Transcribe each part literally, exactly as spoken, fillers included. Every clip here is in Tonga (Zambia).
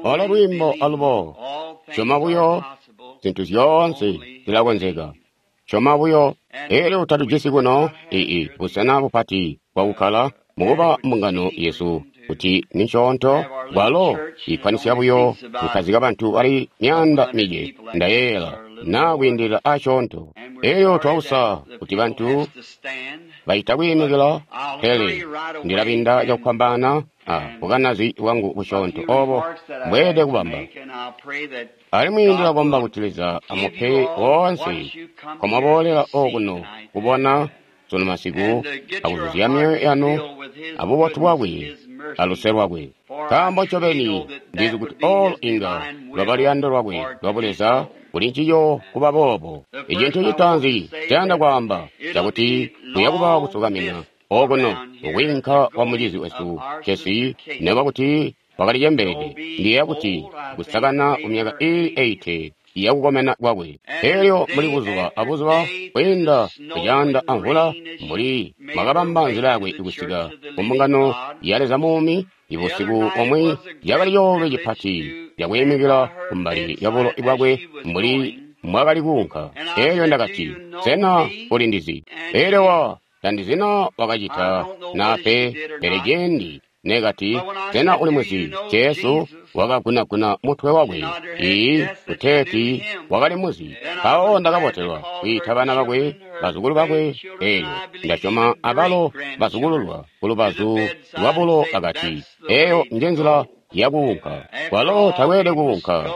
Olo lwiimbo alubo, syoma buyo, zintu zyoonse zilakonzeka. Syoma buyo. Elyo tatujisi kuno ii busena bupati bwakukkala mukuba mbungano yesu kuti ni nsyoonto, bwalo ikwanisya buyo kukkazika bantu bali myaanda mice, ndayeeyela, naa kwiindilila asyoonto. Elyo twausa kuti bantu baita kwiimikila, pele ndilabinda cakufwambaana a bukanazi bwangu busyoonto obo mbweelede kubamba. Alimwi ndilakomba kuti Leza amupe woonse nkomwaboolela okuno kubona sunu masiku akuzuzya myoyo yanu abubotu bwakwe aluse lwakwe. Nkaambo ncobeni ndizi kuti olo inga lwaba luyando lwakwe lwa Buleza kuli ncico kuba boobo. Icintu citaanzi ncayanda kwaamba cakuti kuya kuba kusukamina okuno ukwiinka kwa mucizi wesu Jesi, nekuba kuti wakalicembeede, ndiyeeya kuti kusakana kumyaka iili eite yakukomena kwakwe. Elyo muli buzuba abuzuba kwiinda kucaanda amvula, mbuli mwakabamba nzila yakwe kusika ku mbungano ya Leza muumi, ibusiku bomwe cakali coolwe cipati cakwiimikila kumbali lya bulo bwakwe mbuli mbwakali kuunka. Elyo ndakati, sena ulindizi? Elyo wa tandizina wakacita na pe, pele cindi nekati, sena uli muzi Jesu wakagunaguna mutwe wakwe, ii kuteeti wakali muzi. Mpawo ndakabotelwa kwiita bana bakwe, bazukulu bakwe, elyo ndasyoma abalo bazukululwa kulubazu lwabulo bakati, eyo nje nzila yakuunka. Walo takweelede kuunka.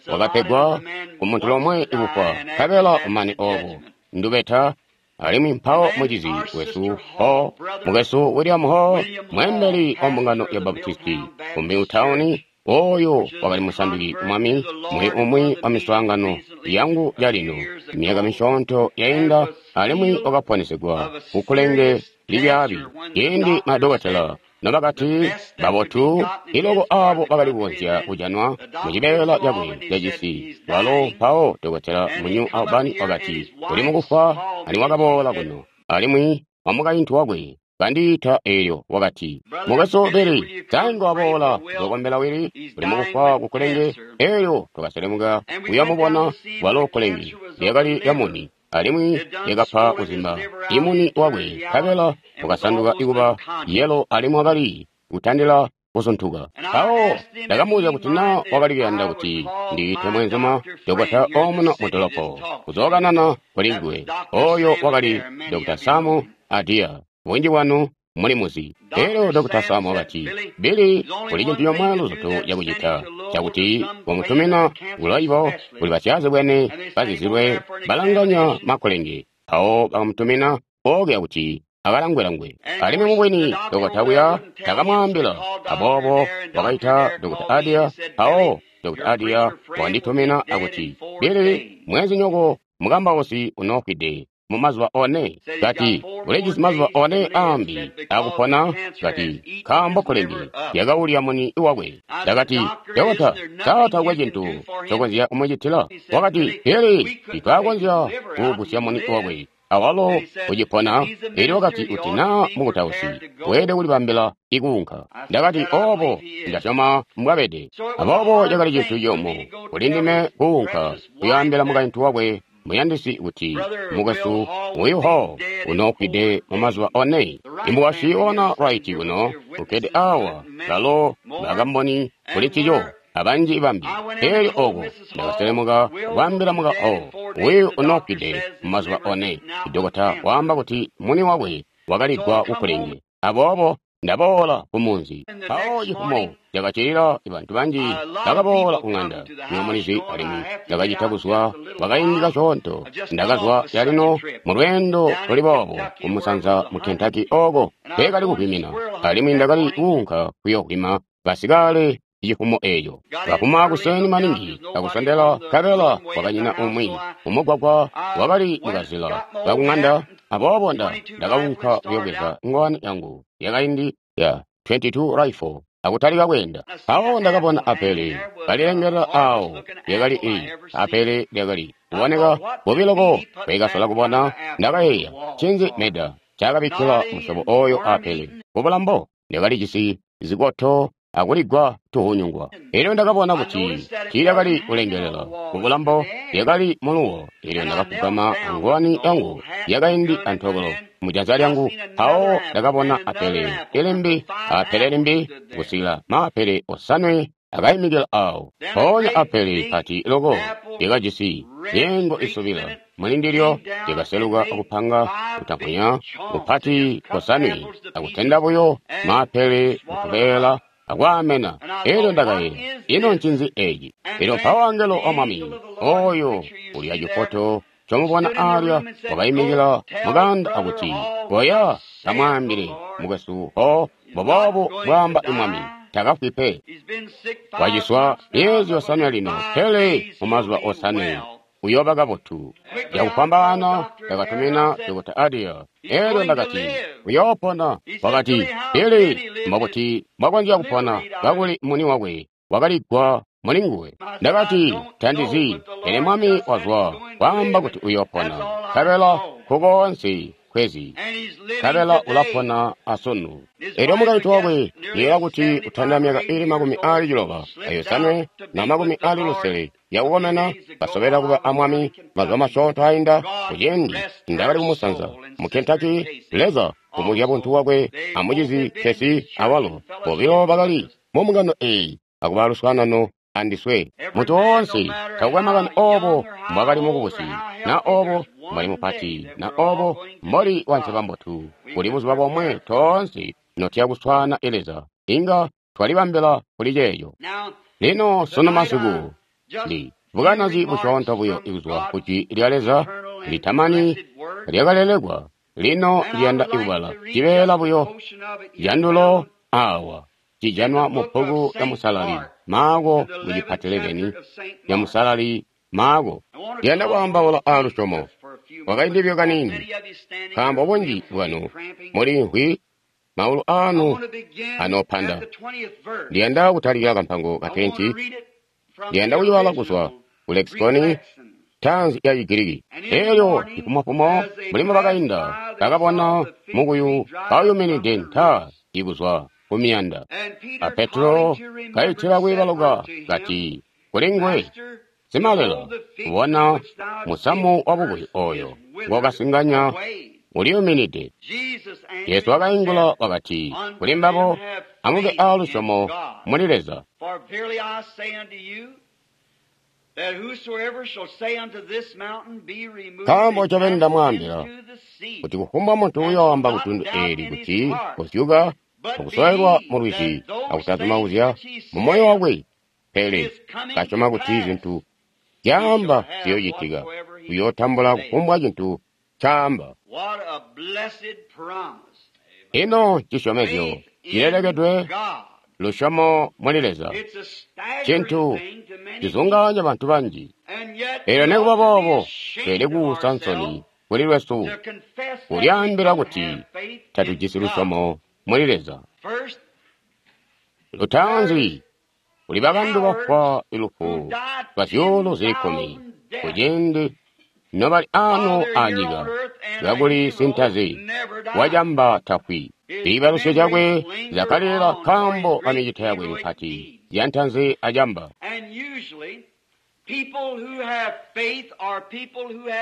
Wakapegwa ku muntu lomwe ikufwa, nkabela umane obo ndubeta. Alimwi mpawo mucizi wesu Hall, mukwesu William Hall, mweembeli wa mbungano ya Baptisti ku Milltown, oyo wakali musanduki mwami muli umwi wa miswaangano yangu yalino myaka misyoonto yainda, alimwi wakaponesegwa kukulenge libyaabi. Ciindi madokotela nobakati babotu iloko abo bakali kukonzya kujanwa mu cibeela cakwe cacisi, walo mpawo dokotela mu New Albany wakati uli mukufa, alimwi wakaboola kuno, alimwi wamukaintu wakwe kandiita. Elyo wakati, mukwesu Billy, saingo waboola kuzokombela Willy, uli mukufa kukulenge. Elyo twakaselemuka kuyamubona walo kulenge lyakali lyamuni, alimwi lyakapa kuzimba imuni wakwe, nkabela wakasanduka ikuba yelo, alimwi wakali kutandila kusuntuka. Mpawo ndakamubuza kuti naa wakali kuyanda kuti ndiite mweenzuma dokota omuno mudolopo kuzookanana kuli nguwe. Oyo wakali Dokota Sam Adair, bunji bwanu muli muzi. Elyo Dokota Sam wakati, Billy, kuli cintu comwe luzutu cakucita, cakuti wamutumina kulaibo kuli basyaazibwene bazizilwe balanganya makulenge. Mpawo bakamutumina okuya kuti akalangwe-langwe. Alimwi mubwini dokota kuya takamwaambila, aboobo wakaita Dokota Adair. Mpawo Dokota Adair wanditumina akuti, Billy, mwenzinyoko mukambausi unoofwide mu mazuba one. Kati, ulijisi mazuba one aambi akupona, kati, nkaambo kulenge lyakaulya muni wakwe. Ndakati, dokota, sa taakwe cintu ncokonzya kumucitila? Wakati, Billy, titwakonzya kuugusya muni wakwe, awalo ucipona. Elyo wakati, kuti naa mukutausi weelede kulibambila ikuunka. Ndakati, obo ndasyoma mbwabede. Aboobo cakali cintu ciyumu kuli ndime kuunka kuyaambila mukaintu wakwe muyandisi kuti mukwesu Will Hall unoofwide mu mazuba one. Imukwasyi wona Wright kuno ukkede awa, balo bakamboni kuli ncico abanji bambi. Elyo oko ndakaselemuka kwaambila muka Hall, Will unoofwide mu mazuba one. Dokota waamba kuti muni wakwe wakaligwa kukulenge. Aboobo ndaboola kumunzi. Mpawo cifumo cakacilila bantu banji bakaboola kuŋanda nyomulizi, alimwi ndakacita kuzwa kwakaindi kasyoonto. Ndakazwa calino mu lweendo luli boobo kumusanza mu Kentucky oko nkeekali kuvwimina, alimwi ndakali kuunka kuyoovwima basikaale cifumo eeco. Kafuma kuseeni maningi akusondela, nkabela kwakanyina umwi mumugwagwa wakali mukazila kakuŋanda. Aboobo nda ndakaunka kuyobweza ngowani yangu yakaindi ya twenty-two rifle akutalika kweenda. Mpawo ndakabona apele kalilengelela aawo, lyakali ii apele lyakali kuboneka bubi loko nkweekasola kubona. Ndakayeeya, ncinzi meda ncaakabikkila musyobo oyo apele kubulambo? Lyakalijisi zikoto akuligwa tuhunyungwa. Elyo ndakabona kuti tiilyakali kulengelela kubulambo, lyakali muluwo. Elyo ndakafugama angowani yangu yakaindi antobolo mujanza lyangu. Mpawo ndakabona apele ilimbi, apele limbi kusikila maapele osanwe akayimikila awo. Mpoonya apele pati loko lyakajisi nyengo isubila mulindilyo lyakaseluka akupanga kutampunya kupati kosanwe akutenda buyo maapele kutubeela akwaamena. Elyo ndakayeeya, ino ncinzi eci? Elyo mpawo angelo wa Mwami oyo uli acifoto comubona alya wakayimikila mukanda akuti, koya kamwaambile mukwesu ho mbuboobu bwaamba Mwami, takafwi pe. Waciswa myezi yosanwe lino, pele mumazuba osanwe uyooba kabotu. Cakufwambaana ndakatumina Dokota Adia. Elyo ndakati, uyoopona. Wakati, pele mbobuti mbwakonzya kupona kakuli muni wakwe wakaligwa mulinguwe? Ndakati, tandizi, pele Mwami wazwa kwaamba kuti uyoopona. Nkabela nkukoonse kwezi, nkabela ulapona asunu. Elyo mukaintu wakwe yeeya kuti utanda myaka ili makumi aali ciloba ayosanwe na makumi aali lusele yakukomena, kasobela kuba amwami mazuba masyoonto ainda kuciindi ndakali kumusanza mu Kentucky. Leza kumuzya buntu bwakwe amucizi Kesi awalo bobilo bakali mumbungano eyi akuba luswaanano andiswe. Muntu woonse takukwe makani obo mbwakali mukubusi na obo mbwali mupati na obo mboli wanseba mbotu, kuli buzuba bomwe toonse notuya kuswaana Leza. Inga twalibambila kuli ceeco. Lino sunu masiku ndi bukanazi busyoonto buyo kuzwa ku Jwi lya Leza litamani lyakalelekwa. Lino ndiyanda kubala cibeela buyo candulo awa cijanwa mu bbuku ya Musalali Maako mu cipati eleveni ya Musalali Maako. Ndiyanda kwaambaula aa lusyomo kwakaindi buyo kaniini, nkaambo bunji bwanu muliimvwi maulu aanu anoopanda. Ndiyanda kutalikila kampango ka twenty. Ndiyanda kucibala kuzwa ku lexicon taanzi ya Chigiriki. Elyo cifumofumo mulimo bakainda bakabona mukuyu kawuminide nta ikuzwa ku miyanda. A Petro kaitila kwiibaluka kati kulinguwe, Simalela, ubona musamu wa bukuyu oyo ngokasinganya uliyuminide. Yesu wakaingula wakati kuli mbabo, amube aalusyomo muli Leza. Nkaambo ncobeni ndamwaambila kuti kufumbwa muntu uyooamba kutundu eeli kuti kozyuka akusowelwa mulwizi akutazumauzya mumoyo wakwe, pele kasyoma kuti zintu zyaamba ziyoocitika, uyootambula kufumbwa cintu ncaamba. Ino cisyomezyo cilelekedwe lusyomo muli Leza, cintu cizungaanya bantu banji. Elyo nikuba boobo tweelede kuusa nsoni kuli lwesu kulyaambila kuti tatujisi lusyomo muli Leza. Lutaanzi kuli bakandu bafwa lufu lwa zyuulu zili kkumi kuciindi nobali ano anyika, kakuli sintazi wacamba tafwi. Ciibalusyo cakwe zyakalila nkaambo kamicito yakwe mipati yantanzi acamba.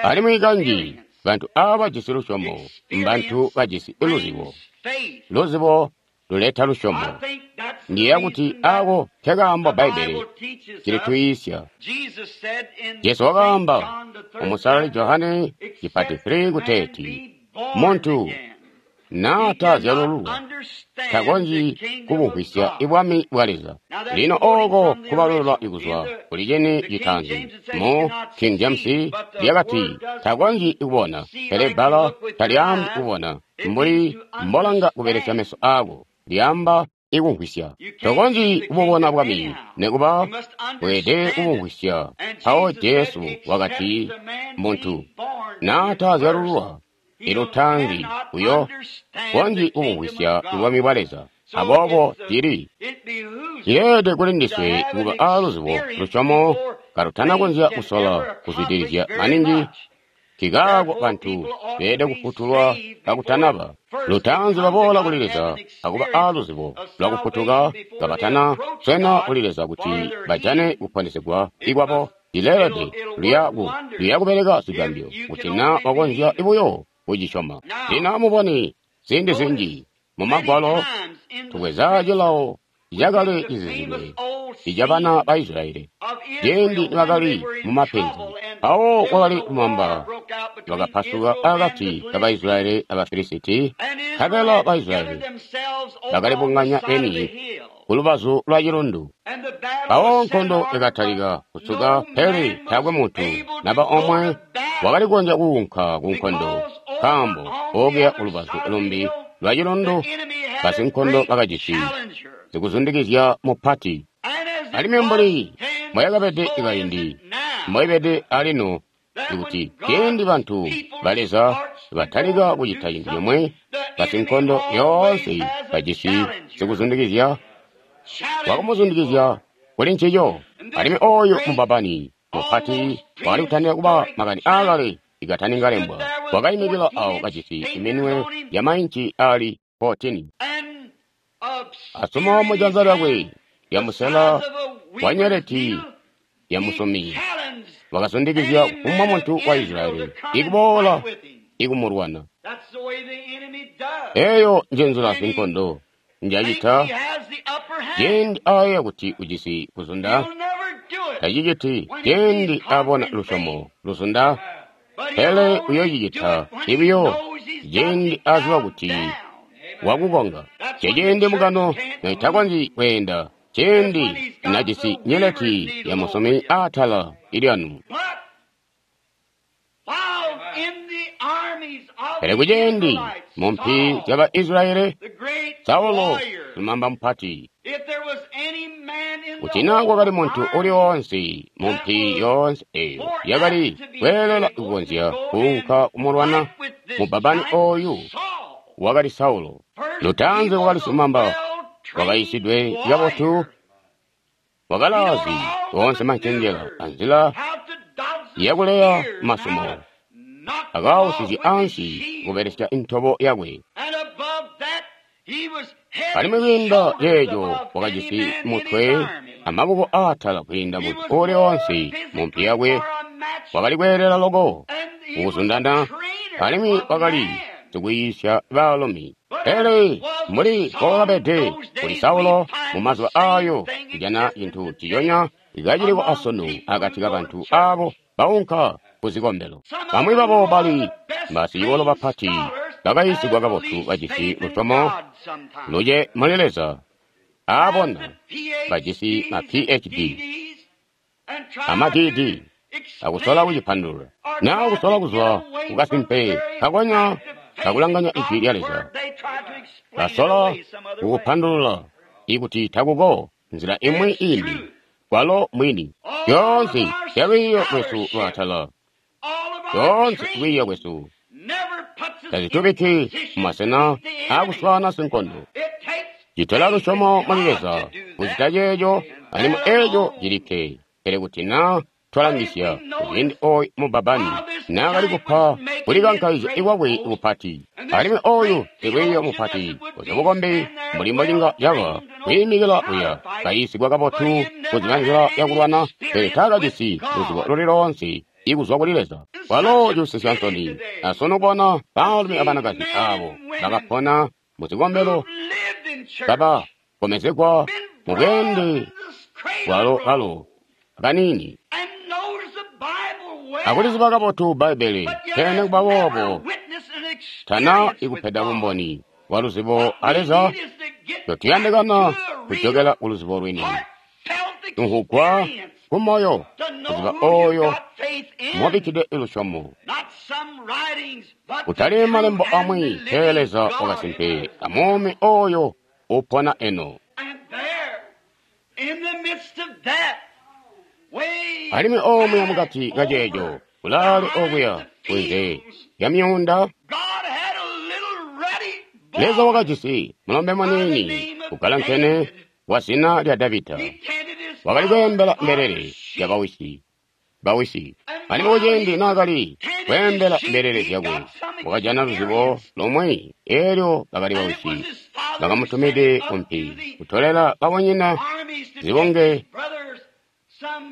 Alimwi kanji bantu aaba bajisi lusyomo mbantu bajisi luzibo. Luzibo luleta lusyomo. Ndiyeeya kuti aako nkekaambo Bbaibbele cilituyiisya. Jesu wakaamba mu Musalali Johane cipati three kuteeti, muntu naatazyalululwa takonzyi kubumvwisya bwami bwa Leza. Lino ooko kubalulwa kuzwa kuli cini citaanzi mu King James lyakati takonzyi kubona, pele bbala talyaambi kubona mbuli mbolanga kubelesya meso aako, lyaamba ikumvwisya. Tokonzyi kububona bwami nikuba bweelede kubumvwisya. Mpawo Jesu wakati muntu naatazyalululwa ilutaanzi uyo konzyi kubumvwisya bwami bwa Leza. Aboobo cili cileelede kuli ndiswe kuba aaluzibo lusyomo kalutanakonzya kusola kuzwidilizya maningi Nkikaako bantu beelede kufutulwa kakutanaba. Lutaanzi baboola kuli Leza akuba aaluzibo lwa kufutuka kabatana swena kuli Leza kuti bajane kuponesegwa ikwabo. Cileelede luyaku luya kubeleka zigambyo kuti na wakonzya buyo kucisyoma. Lino amubone ziindi zinji mu Magwalo tubweza cilawo cakale cizizilwe icabana ba Israyeli ciindi nibakali mu mapenzi. Mpawo kwakali lumamba lwakapasuka akati ka Baisraeli aba Filisiti, nkabela Baisraeli bakalibunganya beni kulubazu lwa cilundu. Mpawo nkondo yakatalika kusuka, pele taakwe muntu naba omwe wakali kukonzya kuunka ku nkondo, nkaambo okuya kulubazu lumbi lwa cilundu basinkondo bakajisi sikuzundikizya mupati. Alimwi mbuli mboyakabede kaindi, mboibede alino, ikuti ciindi bantu ba Leza batalika kucita cintu cimwe, basinkondo lyoonse bajisi sikuzundikizya wakumuzundikizya kuli ncico. Alimwi oyu mubabani mupati wakali kutandila kuba makani aakale ikataninga lembwa, wakayimikila awo kajisi iminwe ya mainci ali fourteen asumo mujanza lyakwe lya musela wa nyeleti ya musumi, wakazundikizya kufumbwa muntu wa Israyeli ikuboola ikumulwana. Eyo njenzila sinkondo njacita ciindi ayeeya kuti ujisi kuzunda. Taciciti ciindi abona lusyomo luzunda, pele uyoocicita ibiyo ciindi aziba kuti wakukonga. Ceciindi mukano noitakonzyi kweenda, ciindi najisi nyeleti ya musumi aatala ilyanu. Pele kuciindi mu mpi zya Baisraeli, Saulo lumamba mupati, kuti naa kwakali muntu uli woonse mu mpi yoonse eyo yakali kweelela kukonzya kuunka kumulwana mubabani oyu, wakali Saulo. Lutaanzi wakali silumamba wakayiisidwe kabotu, wakalaazi woonse mancenjela anzila yakuleya masumo, akaawusizye ansi kubelesya intobo yakwe. Alimwi kwiinda ceeco wakajisi mutwe amaboko aatala kwiinda muntu uuli woonse mu mpi yakwe, wakali kweelela loko kukuzundana, alimwi wakali sikuyiisya baalumi. Pele mbuli mbokakabede kuli Saulo mu mazuba aayo, kujana cintu ciconya kaciliko asunu akati kabantu aabo baunka kuzikombelo. Bamwi babo bali basicikolo bapati bakayiisigwa kabotu bajisi lusyomo luce muli Leza, aabona bajisi ma P H D ama D D akusola kucipandulula naa kusola kuzwa kukasimpe kakonya kakulanganya ijwi lya Leza. Basola kukupandulula ikuti takuko nzila imwi imbi kwalo mwini. Zyoonse zyalwiiyo lwesu lwaatala, zyoonse lwiiyo lwesu tazitubikki mumasena aakuswaana sinkondo. Citola lusyomo muli Leza kucita ceeco, alimwi eeco cilikke. Pele kuti naa twalangisya kuciindi oyu mubabani naakali kupa kulikankaizya ikwakwe kupati, alimwi oyu silwiiyo mupati kuzibukombi mbuli mbocinga caba kwiimikila kuya kayiisigwa kabotu kuziba nzila yakulwana, pele taakajisi luzibo luli loonse ikuzwa kuli Leza. Kwalo cuusisya nsoni asunu kubona baalumi abanakazi aabo bakapona muzikombelo kabakomezegwa mu bweende bwalo balo kanini akuliziba kabotu Bbaibbele, pele nikuba boobo tana ikupeda bumboni bwa luzibo a Leza. Totuyandikana kujokela ku luzibo lwini tunhugwa kumoyo kuziba oyo mobikkide lusyomo, kutali malembo amwi, pele Leza wakasimpe amuumi oyo upona eno. Alimwi omwe mukati kaceeco kulaali okuya kunze ya myuunda, Leza wakajisi mulombe muniini kugalankene wa zina lya Davida, wakali kweembela mbelele ya bawisi bawisi. Alimwi kuciindi naakali kweembela mbelele zyakwe, wakajana luzibo lomwe. Elyo bakali bausyi bakamutumide kumpi kutolela babonyina zibunge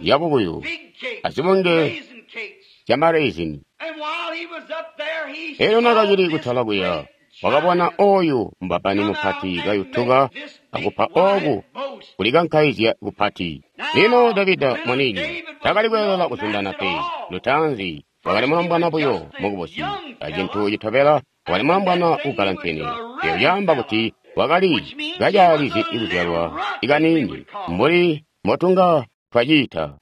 zyabukuyu azibunge zyamareizini. Elyo nakacili kutala kuya, wakabona oyu mbabani mupati kayutuka akupa oku kulikankaizya kupati. Lino Davida muniini takali kweelela kuzundana pe. Lutaanzi wakali mulombwana buyo mukubusi, acintu citobela wakali mulombwana ugalankene. Eyo yaamba kuti wakali kacaalizi kuzyalwa ikaniini mbuli mbotunga twaciita.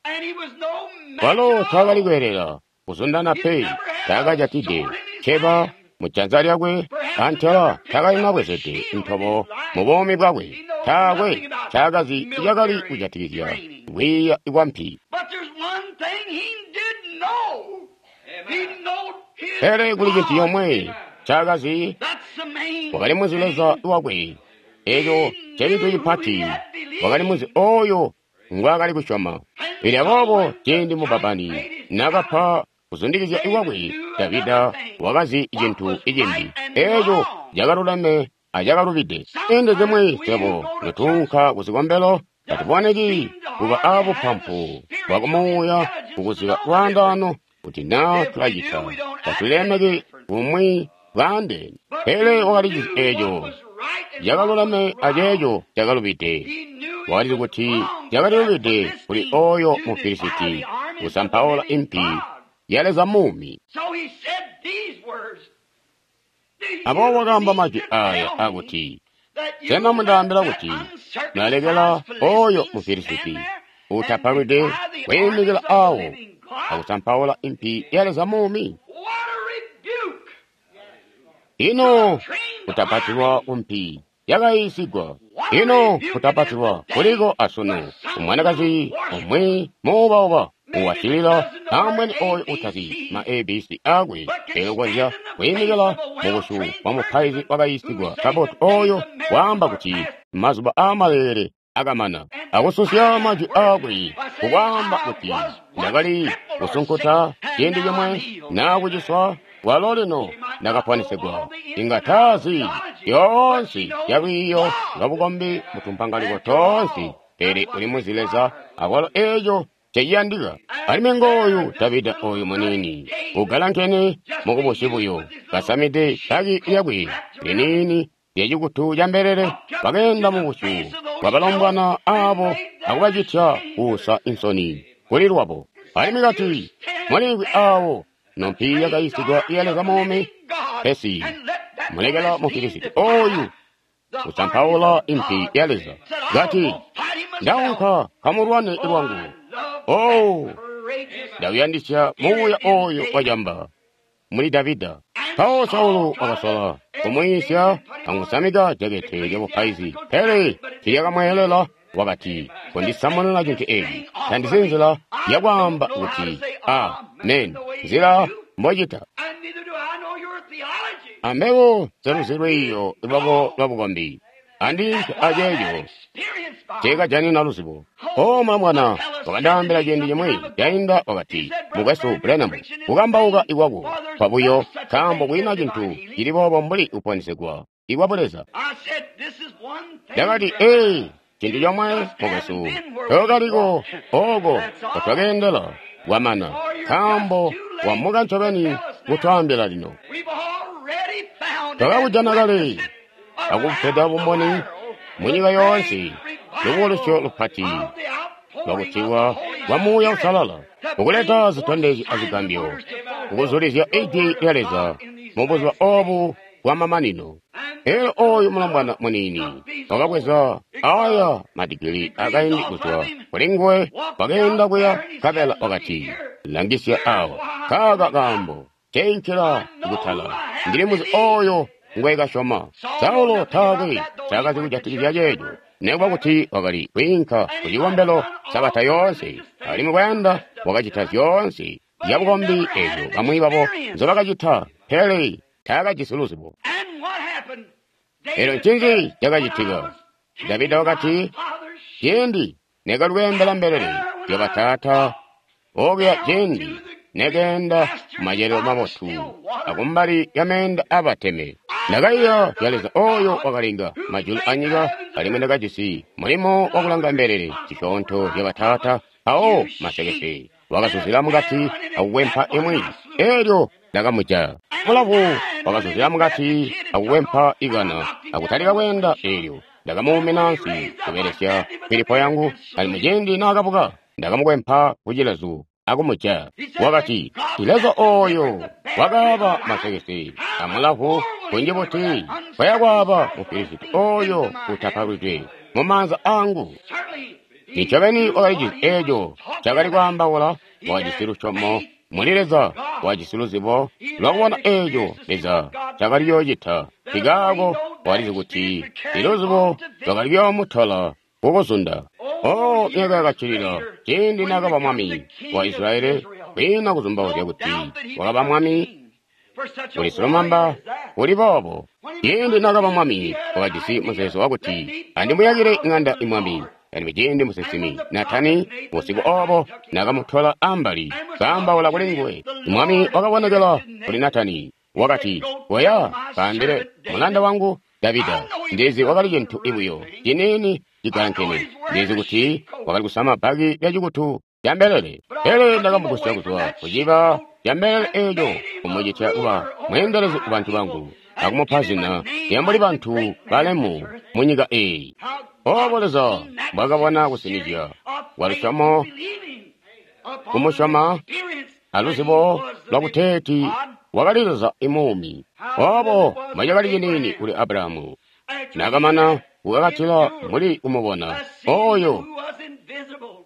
Walo taakali kweelela kuzundana pe, taakajatide ceba mujanza lyakwe, antela taakali bwezede ntobo mu buumi bwakwe. Taakwe ncaakazi cakali kujatikizya kwiiya kwampi. Pele kuli cintu comwe ncaakazi, wakali muzi Leza wakwe. Eco ncecintu cipati. Wakali muzi oyo ngwaakali kusyoma. Pele aboobo ciindi mubabani nakapa kuzundikizya kwakwe, Davida wakazi cintu cimbi eco cakaluleme acakalubide. Ciindi cimwi swebo notuunka kuzikombelo tatuboneki kuba abupampu bwakumuuya kukuziba lwaandaano kuti naa tulacita tatulemeki bumwi bwaandeene. Pele wakalicizi eco cakaluleme aceeco cakalubide. Wakalizi kuti cakalilubide kuli oyo Mufilisiti kusampaula impi ya Leza muumi. Aboobo wakaamba majwi aya akuti, sena mundaambila kuti mulalekela oyo Mufilisiti uutapalwide kwiimikila awo akusampaula impi ya Leza muumi? Ino kutapatilwa kumpi yakayiisigwa. Ino kutapatilwa kuliko asunu umwanakazi umwi muubauba uwasilila ambweni oyo utazi ma A B C akwe, pele ukonzya kwiimikila mubusyu bwa mupaizi wakayiisigwa kabotu oyo waamba kuti mazuba aamaleele akamana, akususya majwi akwe kukwaamba kuti ndakali kusunkuta ciindi cimwe naa kuciswa, walo lino ndakaponesegwa. Inga taazi yoonse yalwiiyo lwabukombi mutumpangaliko toonse, pele uli muzi Leza akwalo eco nceciyandika. Alimwi ngooyu Davida oyu muniini ugalankene mukubusi buyo, kasamide bbaki lyakwe liniini lyacikutu ca mbelele, wakeenda mubusyu bwabalombwana aabo akubacitya kuusa insoni kuli lwabo. Alimwi kati, muliimvwi aawo nompi yakayiisigwa ya Leza muumi, pesi mulekela Mufilisiti oyu kusampaula impi ya Leza. Kati, ndaunka kamulwane lwangu. Oh, ndauyandisya muuya oyo wacamba muli Davida. Mpawo Saulu wakasola kumwiisya amusamika jakete lyabupaizi, pele tilyakamweelela. Wakati, kondisamununa cintu eeci, tandisi nzila yakwaamba kuti amen, nzila mbocita. Ambebo nseluzi lwiiyo lwako lwabukombi, andinke aceeco nceekajanina luzibo. O mulombwana wakandaambila ciindi cimwi cainda, wakati, Mukwesu Branham, kukambauka ikwako kwabuyo, nkaambo kwiina cintu cili boobo mbuli kuponesegwa ikwa Buleza. Ndakati, ee, cintu comwe mukwesu, tookaliko ooko kotwakeendela kwamana, nkaambo wamuka ncobeni kutwaambila lino. Twakakujana kale akupeda bumboni munyika yoonse lubukulusyo lupati lwakutiwa kwa Muuya Uusalala, kukuleta zitondezyo azigambyo, kukuzulizya ijwi lya Leza mubuzuba obu bwamamanino. Elyo oyu mulombwana muniini wakabweza aya madigili akaindi kuzwa kuli nguwe, wakeenda kuya nkabela wakati, langisya awa, kaaka kaambo ceinkila kutala, ndili muzi oyo ngwekasyoma. Saulo taakwe ncaakazi kujatikizya ceeco, nekuba kuti wakali kwiinka ku cikombelo Sabata yoonse, alimwi kwayanda wakacita zyoonse zyabukombi ezyo bamwi babo nzobakacita, pele taakajisi luzibo. Elyo ncinzi cakacitika? Davida wakati, ciindi nekali kweembela mbelele zyabataata, okuya ciindi nekeenda macelelo mabotu akumbali ya meenda abateme. Ndakaiya zya Leza oyo wakalenga majulu anyika, alimwi ndakajisi mulimo wakulanga mbelele zisyoonto zya bataata. Mpawo masekese wakazuzila mukati akukwempa imwi, elyo ndakamujaya. Mulavu wakazuzila mukati akukwempa ikana akutalika kweenda, elyo ndakamuumina ansi kubelesya filipo yangu, alimwi ciindi naakabuka ndakamukwempa kucilezu akumujaya. Wakati, Leza oyo wakaaba masekese amulavu kunji buti kwayakwaaba Mufilisiti oyo utapalwidwe mumaanza angu. Ncobeni wakalijisi eeco cakali kwaambaula, wakajisi lusyomo muli Leza, wakajisi luzibo lwakubona eeco Leza cakali kuyoocita. Nkaako wakalizi kuti iluzibo lwakali kuyoomutola kukuzunda. O myaka yakacilila ciindi naakaba mwami wa Israyeli, kwiina kuzumbauzya kuti wakaba mwami kuli silumamba uli boobo. Ciindi naakaba mwami wakajisi muzeezo wakuti andimuyakile ŋanda imwami. Alimwi ciindi musinsimi Natani busiku oobo naakamutola ambali kaambaula kuli nguwe, mwami wakabonekela kuli Natani wakati, koya kaambile mulanda wangu Davida, ndizi wakali cintu ibuyo ciniini cigalankene, ndizi kuti wakali kusama bbaki lyacikutu ca mbelele, pele ndakamugusya kuzwa kuciba ca mbelele eeco kumucitya kuba mweendelezi kubantu bangu akumupa zina lyambuli bantu balemu munyika eeyi. Oobo Leza mbwakabona kusinizya kwa lusyomo kumusyoma aluzibo lwakuteeti wakali Leza imuumi. Oobo mbwacakali ciniini kuli Abulahamu naakamana kukakatila muli kumubona oyo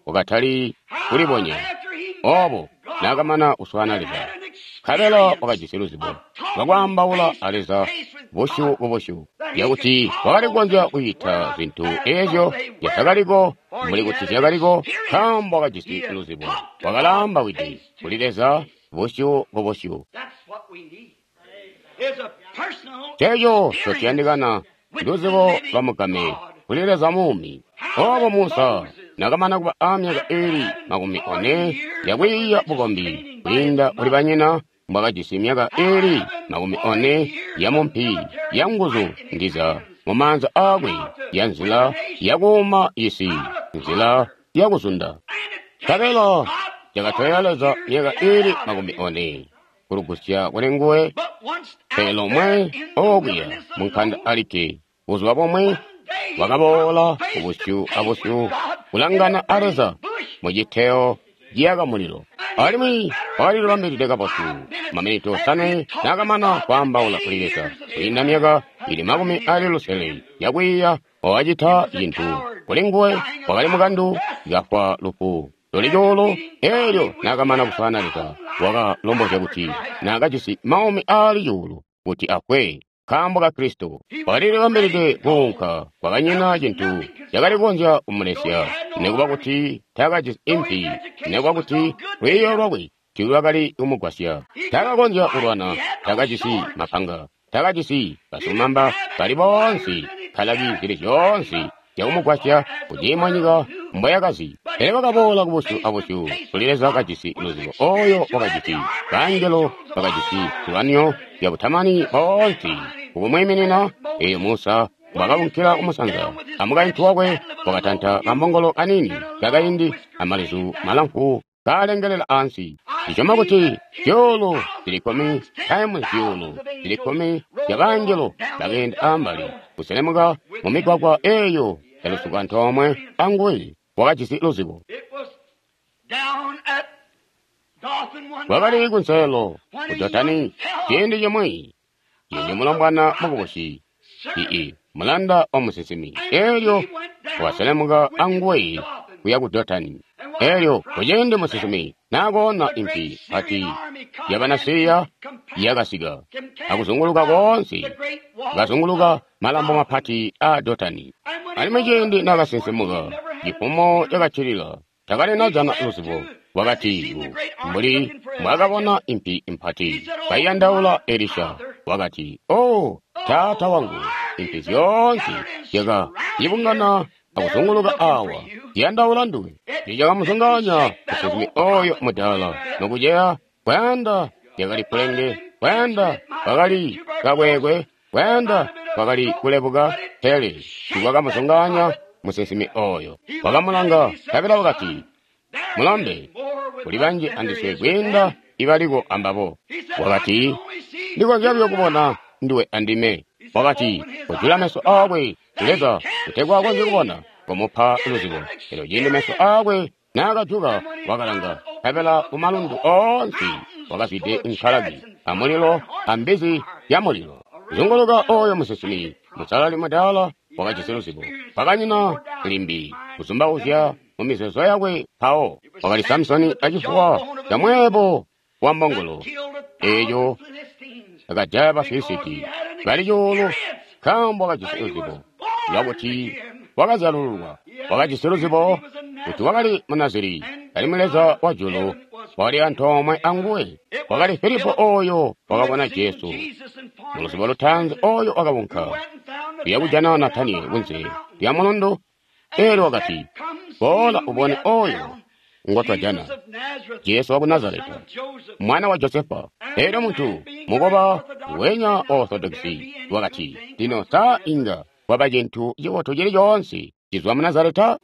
wakatali kulibonya. Oobo naakamana kuswaana Leza, nkabela wakajisi luzibo lwakwaambaula a Leza busyu kubusyu, yakuti wakali kukonzya kucita zintu eezyo zyatakaliko mbuli kuti zyakaliko, nkaambo wakajisi luzibo, wakalaambawide kuli Leza busyu kubusyu. Ceeco ncociyandikana luzibo lwa mugame kuli Leza muumi. Oobo Musa nakamana kuba amyaka iili makumi one yakwiiya bukombi kwiinda kuli banyina mbwakajisi myaka iili makumi one yamumpi yanguzu ndiza mumaanza aakwe ya nzila yakuuma isi, nzila yakuzunda. Nkabela cakatolela Leza myaka iili makumi one kulugusya kuli nguwe, pele lomwe okuya munkanda alikke buzuba bomwe wakaboola kubusyu abusyu kulangana a Leza muciteyo ciyaka mulilo. Alimwi wakalilibambilide kabotu maminiti osanwe naakamana kwaambaula kuli Leza kwiinda myaka ili makumi ali lusele yakwiiya wakacita cintu kuli nguwe wakali mukandu kafwa lufu luli cuulu. Eelyo naakamana kuswaana Leza wakalombozya kuti naakajisi maumi aali cuulu kuti afwe nkaambo ka Kristo. Wakalilibambilide kuunka, kwakanyina cintu cakali kukonzya kumulesya, nikuba kuti taakajisi impi, nikuba kuti lwiiyo lwakwe tiilwakali kumugwasya. Taakakonzya kulwana, taakajisi mapanga, taakajisi basilumamba bali boonse, nkalaki zili zyoonse zyakumugwasya kuciimwa nyika mbwayakazi. Pele wakaboola kubusyu abusyu kuli Leza kajisi luzibo oyo wakajisi bangelo bakajisi zilwanyo zyabutamani boonse kukumwiiminina. Eeyo Musa mbwakaunkila kumusanza amukaintu wakwe wakatanta kambongolo kaniini kakaindi amalezu malamfu kaalengelela ansi. Ndisyoma kuti zyuulu zili kkumi taimu zyuulu zili kkumi zya bangelo bakeenda ambali kuselemuka mumigwagwa eeyo yalusuka antoomwe anguwe wakajisi luzibo. Kwakali kunselelo ku Jotani ciindi cimwi, ciindi mulombwana mukubusi ii mulanda wa musinsimi, eelyo wakaselemuka anguwe kuya ku Dotani. Eelyo kuciindi musinsimi naakoona impi mpati yabana Siriya yakasika akuzunguluka koonse, akazunguluka malambo mapati aa Dotani. Alimwi ciindi naakasinsimuka cifumo cakaccilila takalinajana luzibo, wakati mbuli mbwaakabona impi impati kaiyandaula Elisha, wakati, O taata wangu, impi zyoonse zyakayibungana akuzunguluka awa ziyandaula nduwe. Tiicakamuzungaanya musinsimi oyo mudaala nokuceya Kwayanda lyakali pulenge, kwayanda kwakali kakwekwe, kwayanda kwakali kulebuka, pele tiikwakamuzungaanya musinsimi oyo. Wakamulanga nkabela wakati, mulombe, kuli banji andiswe kwiinda ibaliko ambabo. Wakati, ndikonzya buyo kubona nduwe andime. Wakati, kojula meso aakwe Leza kutegwa akonzye kubona, kumupa luzibo. Elyo ciindi meso aakwe naakajuka, wakalanga, nkabela kumalundu oonse wakazwide nkalaki amulilo ambizi yamulilo. Zunguluka oyo musinsimi musalali mudaala wakajisi luzibo, kwakanyina limbi kuzumbauzya mu mizeezo yakwe. Mpawo wakali Samusoni acifuwa ca mweebo wa mbongolo eeco akajaya Bafilisiti bali cuulu, nkaambo wakajisi luzibo lwakuti wakazyalululwa. Wakajisi luzibo kuti wakali Munaziri, alimwi Leza wa julu wakali antoomwe anguwe. Wakali Filipo oyo wakabona Jesu mu luzibo lutaanzi, oyo wakabunka kuya kujana Nataniyeli kunze lya mulundu. Eelyo wakati, boola ubone oyo ngo twajana, Jesu waku Nazareta, mwana wa Josefa. Eelyo muntu mukoba wenya Orthodoxi wakati, lino sa inga kwaba cintu cibotu cili coonse cizwa mu Nazareta?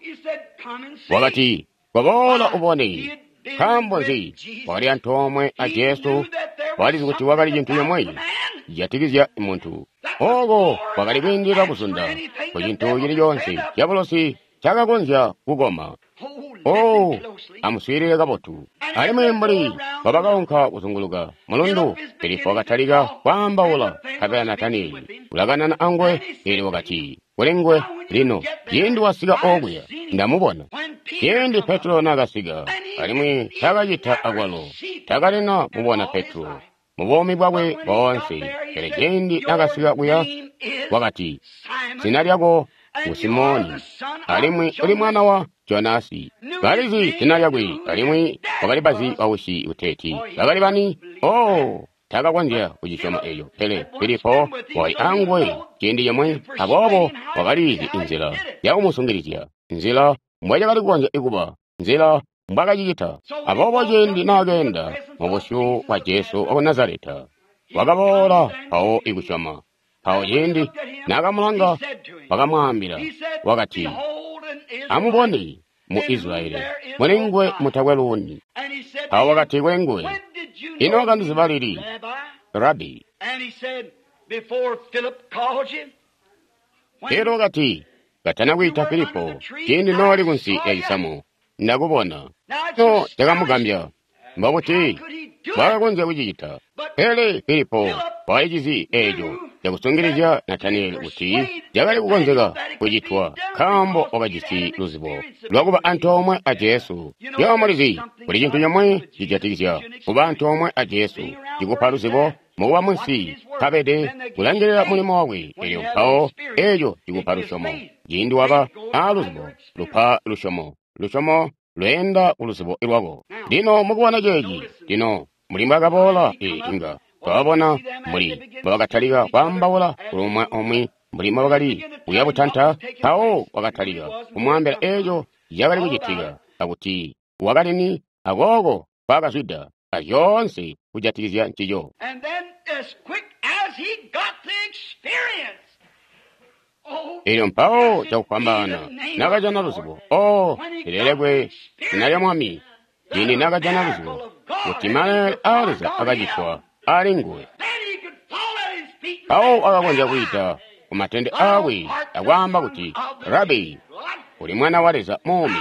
Wakati, koboola ubone. Nkaambo nzi? Wakali antoomwe a Jesu, wakalizi kuti wakali cintu cimwi cijatikizya muntu. Oko kwakali kwiindila kuzunda ku cintu cili coonse diabolosi cakakonzya kukoma. Oh, amuswiilile kabotu. Alimwi mbuli mbobakaunka kuzunguluka mulundu, Filipo wakatalika kwaambaula, nkabela Nataniyeli ulakanana anguwe. Eelyo wakati kuli nguwe, lino ciindi wasika okuya, ndamubona. Ciindi Petro naakasika, alimwi taakacita akwalo, takalina mubona Petro mu buumi bwakwe boonse. Pele ciindi naakasika kuya, wakati, zina lyako ngu Simoni, alimwi uli mwana wa Jonasi. Kalizi zina lyakwe, alimwi wakali bazi bausyi kuteeti bakali bani. Oh, takakonzya kucisyoma eco. Pele Filipo wakali anguwe ciindi cimwi, aboobo wakaliizi inzila yakumusungilizya, nzila mbwacakali kukonzya kuba, nzila mbwakacicita. Aboobo ciindi naakeenda mu busyu bwa Jesu waku Nazareta, wakaboola mpawo ikusyoma. Mpawo ciindi naakamulanga, wakamwaambila, wakati, amubone mu Israyeli muli nguwe mutakwe luuni. Mpawo wakati kuli nguwe, ino wakandiziba lili, Rabi? Petro wakati, katana kwiita Filipo, ciindi nooli kunsi lya cisamu, ndakubona. No cakamugambya mbobuti mbwaakakonzya kucicita. Pele Filipo wakalicizi eeco cakusungilizya Nataniyeli kuti cakali kukonzeka kucitwa, nkaambo wakajisi luzibo lwakuba antoomwe a Jesu. Nywebo mulizi kuli cintu cimwi cijatikizya kuba antoomwe a Jesu, cikupa luzibo mukuba munsi kabede kulangilila mulimo wakwe. Elyo mpawo eeco cikupa lusyomo. Ciindi waba a luzibo lupa lusyomo, lusyomo lweenda ku luzibo lwako. Lino mukubona ceeci, lino mbuli mbwakaboola inga twabona mbuli mbwakatalika kwaambaula kulumwa omwe, mbuli mbwakali kuya butanta. Mpawo wakatalika kumwaambila eeco cakali kucitika, akuti wakali ni, akooko kwakazwida, azyoonse kujatikizya ncico. Elyo mpawo cakufwambaana nakajana luzibo, oh, lilelekwe zina lya Mwami. Ciindi nakajana luzibo kuti maleele aa Leza akacitwa ali nguwe, mpawo wakakonzya kwiita ku matende aakwe akwaamba kuti, Rabi, uli mwana wa Leza muumi,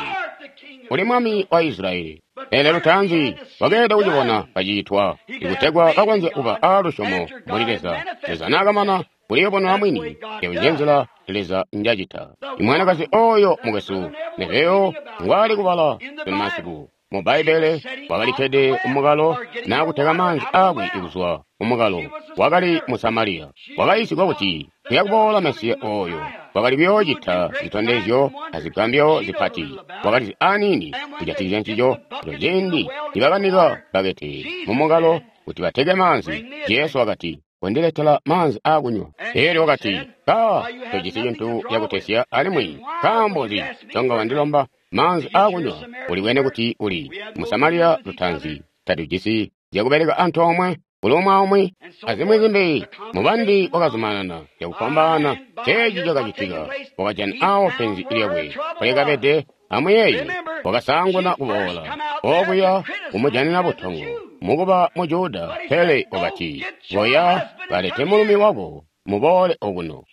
uli mwami wa Israyeli. Pele lutaanzi wakeelede kucibona kacitwa ikutegwa kakonzye kuba a lusyomo muli Leza. Leza naakamana kuliyubununa mwini, eyo nje nzila Leza njacita. Imwanakazi oyo mukwesu Neveo ngwali kubala masiku mu Bbaibbele, wakalikkede kumukalo naakuteka maanzi aakwe kuzwa kumukalo. Wakali mu Samariya. Wakayiisigwa kuti kuya kuboola Mesiya oyo wakali kuyoocita zitondezyo azigambyo zipati. Wakalizi aniini kujatikizya ncico. Elyo ciindi nibakanika bbakete mumukalo kuti bateke maanzi, Jesu wakati, kondiletela maanzi aakunywa. Elyo wakati, ka tojisi cintu cakutesya, alimwi nkaambo nzi conga wandilomba maanzi aakunywa? Ulibwene kuti uli Musamariya lutaanzi, tatujisi zyakubeleka antoomwe kuli umwi aumwi azimwi zimbi. Mubandi wakazumanana cakufwambaana. Ceeci cakacitika, wakajana awo penzi lyakwe mpolekabede. Amuyeeye, wakasaanguna kuboola okuya kumujanina butongo mukuba mu Juda, pele wakati, "Koya kalete mulumi wako muboole okuno."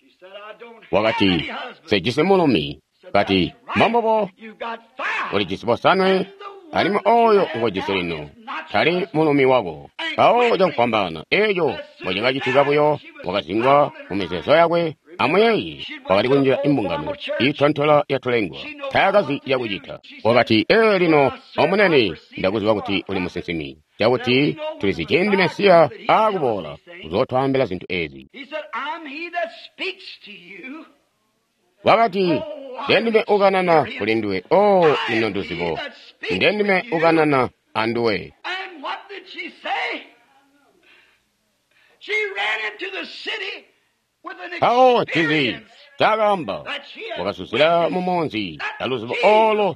Wakati, "Nsejisi mulumi." Kati, "Mbombubo, ulijisi bosanwe, alimwi oyo ngojisi lino tali mulumi wako." Mpawo cakufwambaana eeco mbocakacitika buyo, wakazingwa mumizeezo yakwe. Amuyeeye, wakali kunjila imbungano iitontola yatulengwa, taakazi cakucita. Wakati, "Ee lino, omunene, ndakuziba kuti uli musinsimi, cakuti tulizi ciindi Mesiya aakuboola uzootwaambila zintu ezi." Wakati, "Ndendime ukanana kuli nduwe. O ino nduzibo, ndendime ukanana anduwe." Mpawo ncinzi ncaakaamba? Wakazuzila mumunzi aluzibo olo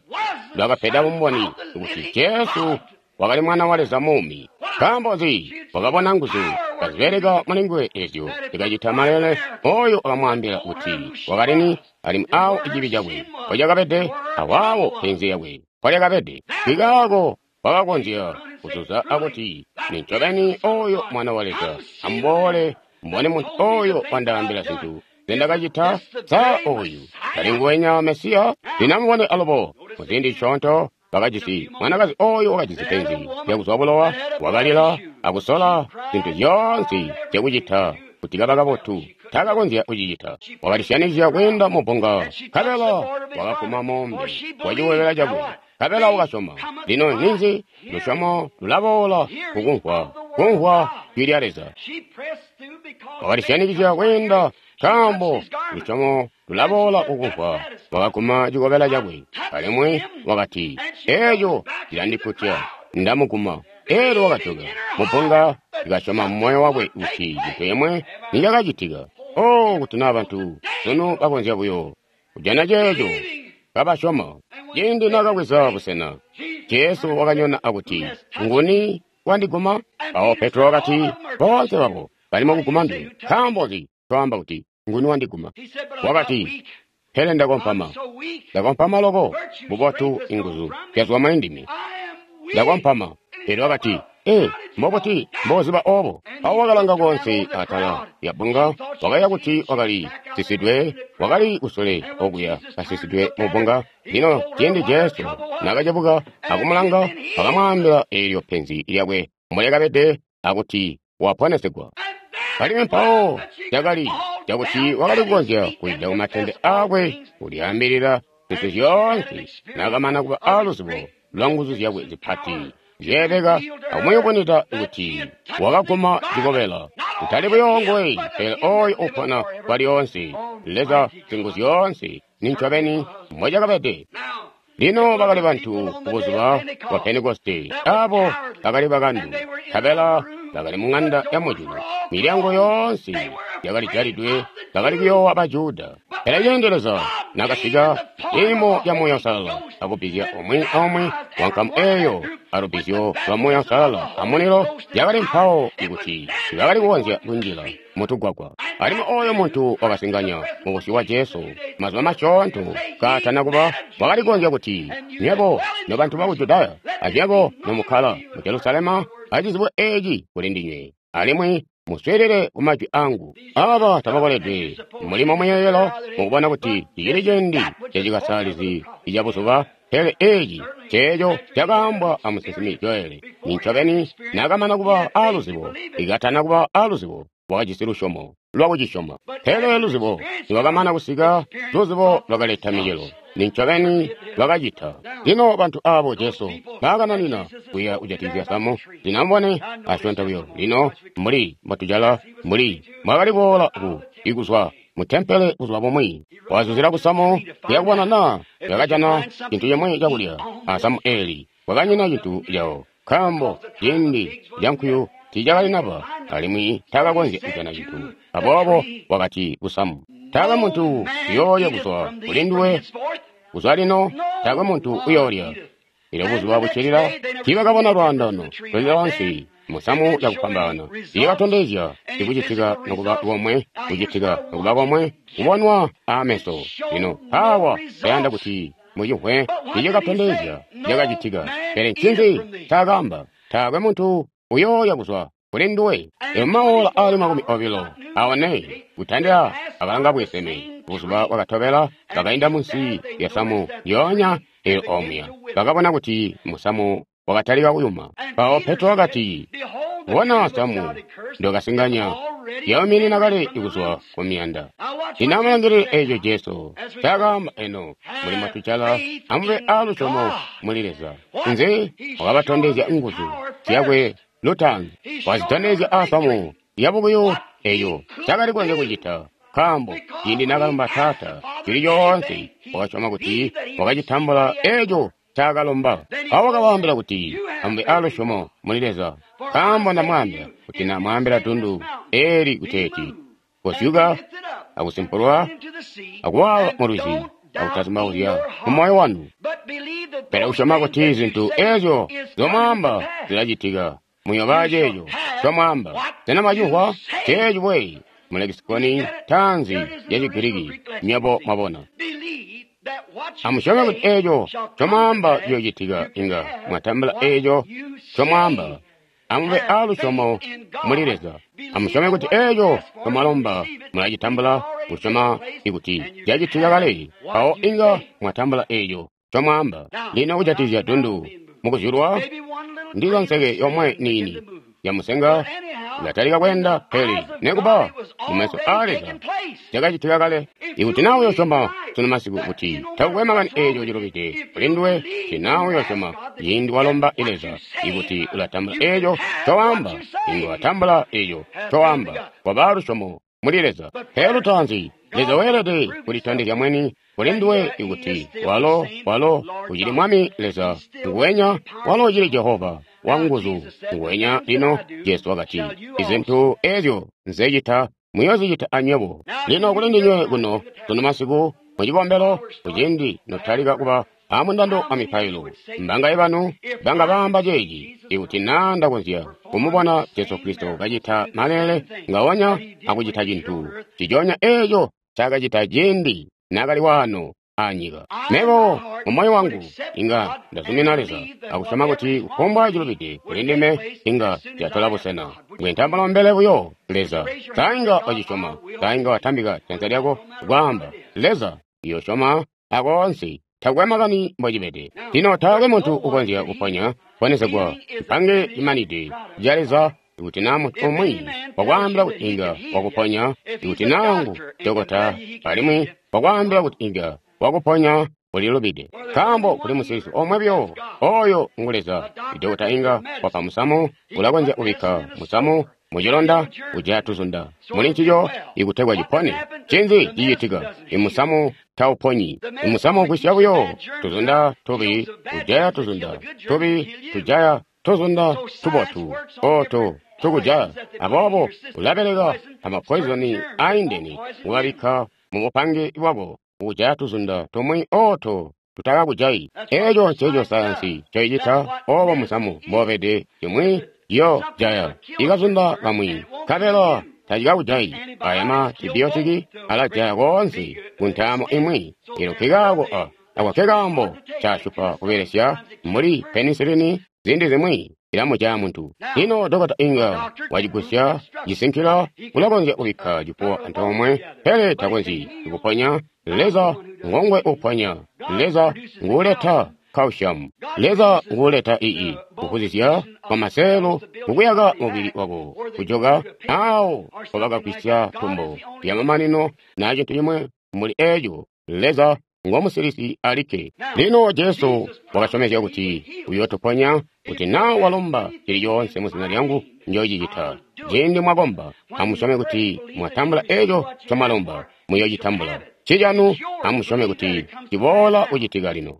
lwakapeda bumboni kuti Jesu wakali Mwana wa Leza muumi. Nkaambo nzi? Wakabona nguzu kazibeleka mulinguwe ezyo zikacita malele. Oyo wakamwaambila kuti wakalini, alimwi awo icibi cakwe mpocakabede, awaawo penzi yakwe mpolyakabede. Nkikaako wakakonzya kuzuza akuti, "Nincobeni oyo Mwana wa Leza, amuboole mbone muntu oyo wandaambila zintu zendakacita. Sa oyu tali nguwenya Mesiya?" Lino amubone alubo, muziindi zisyoonto bakajisi mwanakazi oyo wakajisi penzi lyakuzwa bulowa, wakalila akusola zintu zyoonse zyakucita kuti kaba kabotu, taakakonzya kucicita. Wakalisyanikizya kwiinda mubbunga, nkabela wakaguma moombe waciwebela cakwe, nkabela wakasyoma. Lino ninzi? Lusyomo lulaboola kukumvwa, kumvwa jwi lya Leza. Wakalisyanikizya kwiinda, nkaambo lusyomo lulaboola kukumvwa. Wakaguma cikobela cakwe, alimwi wakati, "Eeco cilandikutya, ndamuguma." Eelyo wakajoka mubbunga, likasyoma mumoyo wakwe kuti cintu cimwe nicakacitika. O, kuti naa bantu sunu bakonzya buyo kujana ceeco kabasyoma! Ciindi naakabweza busena, Jesu wakanyona akuti, "Nguni wandiguma?" Mpawo Petro wakati, "Boonse babo bali mukuguma nduwe. Nkaambo nzi twaamba kuti, 'Nguni wandiguma?'" Wakati, "Pele ndakompama, ndakompama loko, bubotu inguzu zyazwa muli ndime, ndakompama." Pele wakati, "Ee, mbobuti mboziba obo?" Mpawo wakalanga konse atala lya bbunga, wakaya kuti wakali sisidwe, wakali kusule okuya kasisidwe mu bbunga. Lino ciindi Jesu naakacebuka akumulanga, wakamwaambila eelyo penzi lyakwe mbolyakabede akuti waponesegwa. Alimwi mpawo cakali cakuti wakali kukonzya kwiinda kumatende aakwe kulyaambilila zintu zyoonse naakamana kuba aaluzibo lwa nguzu zyakwe zipati zyeeleka akumuyubunwida kuti wakaguma cikobela. Kutali buyo nguwe, pele oyo upona kwalyoonse, Leza Singuzyoonse, nincobeni mbocakabede. Lino bakali bantu kubuzuba bwa Pentekoste, abo bakali bakandu, nkabela bakali muŋanda ya mujulu. Milyango yoonse yakali jalidwe, bakali kuyoowa ba Juda. Pele ciindi Leza nakasika ciimo ca Muuya Uusalala akubbizya umwi aumwi wankamu eeyo alubbizyo lwa Muuya Uusalala amulilo, yakali mpawo ikuti bakali kukonzya kunjila mutugwagwa. Alimwi oyo muntu wakasinganya mubusyu bwa Jesu mazuba masyoonto kaatana kuba, wakali kukonzya kuti, "Nywebo nobantu baku Judaya, anywebo nomukkala mu Jelusalema, acizibwe eeci kuli ndinywe, alimwi muswiilile kumajwi angu. Aba tabakoledwe mulimo muyeeyelo mukubona kuti cicili ciindi cacikasalizi icabuzuba, pele eeci ceeco cakaambwa amusinsimi Joeli. Nincobeni naakamana kuba aaluzibo, ikatana kuba aaluzibo, wakajisi lusyomo lwakucisyoma. Pele luzibo lwakamana kusika, luzibo lwakaleta micelo. Nincobeni lwakacita." Lino bantu aabo Jesu baakananina kuya kujatikizya samu, lino amubone asyoonto buyo. Lino mbuli mbotujala, mbuli mbwaakali kuboola ku ikuzwa mu tempele buzuba bumwi, wakazuzila kusamu kuya kubona naa yakajana cintu cimwi cakulya. Asamu eeli kwakanyina cintu cawo, nkaambo ciindi cankuyu tiicakalinaba, alimwi taakakonzya kujana cintu. Aboobo wakati kusamu, "Taakwe muntu uyoolya kuzwa kuli nduwe kuzwa lino, taakwe muntu uyoolya Elyo buzuba buccilila tiibakabona lwaandano luli loonse musamu cakufwambaana. Tiibakatondezya ikucitika nokuba komwe, kucitika nokuba komwe, kubonwa aameso. Lino mpaawa bayanda kuti mucimvwe icakatondezya cakacitika. Pele ncinzi ncaakaamba? Taakwe muntu uyooya kuzwa kuli nduwe. Elyo maola ali makumi obilo aone kutandila akalanga bwiseme. Buzuba bwakatobela bakainda munsi lya samu lyoonya elyo omuya bakabona kuti musamu wakatalika kuyuma. Mpawo Petro wakati, bona samu ndokasinganya lyauminina kale kuzwa ku miyanda. Lino amulangilile eco Jesu ncaakaamba eno muli mwatucala, amube aalusyomo muli Leza. Nzi wakabatondezya nguzu zyakwe lutaanzi, wazitondezya aasamu lyabukuyu eyo cakali kukonzya kucita. Nkaambo ciindi naakalomba Taata cili coonse, wakasyoma kuti wakacitambula eco ncakalomba. Mpawo wakabaambila kuti amube aalusyomo muli Leza. Nkaambo ndamwaambila kuti namwaambila dundu eli kuteeti kozyuka akusimpulwa akuwaalwa mulwizi akutazumbauzya mumoyo wanu, pele kusyoma kuti zintu ezyo zomwaamba zilacitika, muyoba ceeco ncomwaamba. Sena mwacimvwa? Ceeci bwe mu lekisikoni taanzi ya Chigiriki, nywebo mwabona. Amusyome kuti eeco ncomwaamba ciyoocitika, inga mwatambula eeco ncomwaamba. Amube aalusyomo muli Leza. Amusyome kuti eeco ncomwalomba mulacitambula, kusyoma ikuti cacitika kale, mpawo inga mwatambula eeco ncomwaamba. Lino kujatikizya dundu mukuzyulwa, ndiza nseke yomwe niini yamusenga ilatalika kweenda, pele nekuba mumeso aa Leza cakacitika kale. Ikuti naa uyosyoma sunu masiku kuti takukwe makani eeco cilubide kuli nduwe, kuti naa uyosyoma ciindi walomba Leza ikuti ulatambula eeco ncowaamba, inga watambula eeco ncowaamba, waba lusyomo muli Leza. Pele lutaanzi Leza weelede kulitondezya mwini kuli nduwe ikuti walo walo ucili Mwami Leza nguwenya, walo ucili Jehova wanguzu nguwenya. Lino Jesu wakati, izintu ezyo nzecita muyoozicita anywebo. Lino kuli ndinywe kuno sunu masiku mucikombelo, kuciindi notalika kuba amundando wa mipailo, mbangaye banu banga baamba ceeci, ikuti naa ndakonzya kumubona Jesu Kristo kacita maleele ngaonya akucita cintu ciconya eeco ncaakacita ciindi naakali waano anyika, mebo mumoyo wangu inga ndazumina Leza akusyoma kuti kufumbwa cilubide kuli ndime inga catola busena. Mbwe buyo Leza, sa inga wacisyoma, sa inga watambika janza lyako kwaamba Leza, iyosyoma akoonse, takukwe makani mbocibede. Lino taakwe muntu ukonzya kuponya kuponesegwa cipange cimanide ca Leza. Ikuti naa muntu umwi wakwaambila kuti inga wakuponya, ikuti naa ngu dokota alimwi wakwaambila kuti inga wakuponya, ulilubide. Nkaambo kuli musilisi omwe buyo, oyo ngu Leza. Idokota inga wapa musamu, ulakonzya kubikka musamu mucilonda kujaya tuzunda muli ncico ikutegwa cipone. Ncinzi cicitika? Imusamu tauponyi. Imusamu ugwisya buyo tuzunda tubi, kujaya tuzunda tubi, tujaya tuzunda tubotu oto tukujaya. Aboobo ulabeleka amapoizoni aindene kukabikka mubupange bwako kujaya tuzunda tumwi oto tutakakujayi. Eeco nceeco sayansi ncoicita. Obo musamu mbobede cimwi yo jaya ikazunda kamwi nkabela tacikakujayi. Aya maantibiotiki alajaya koonse kuntaamo imwi. Elo nkikaako a ako nkekaambo ncasyupa kubelesya mbuli penisilini ziindi zimwi ilamujaya muntu. Lino dokota inga wacigusya cisinkila, ulakonzya kubikka cifuwa antoomwe, pele takonzyi kuponya. Leza ngongwe uponya. Leza nguuleta calcium. Leza nguuleta ii kukuzizya kwa maseelo kukuyaka mubili wako kujoka awo mpobakagwisya tumbo lyamamanino na cintu cimwe muli eeco. Leza ngomusilisi alikke. Lino Jesu wakasyomezya kuti uyootuponya kuti naa walomba cili coonse muzina lyangu njoocicita. Ciindi mwakomba, amusyome kuti mwatambula eeco ncomwalomba, muyoocitambula. Cicanu, amusyome kuti ciboola kucitika lino.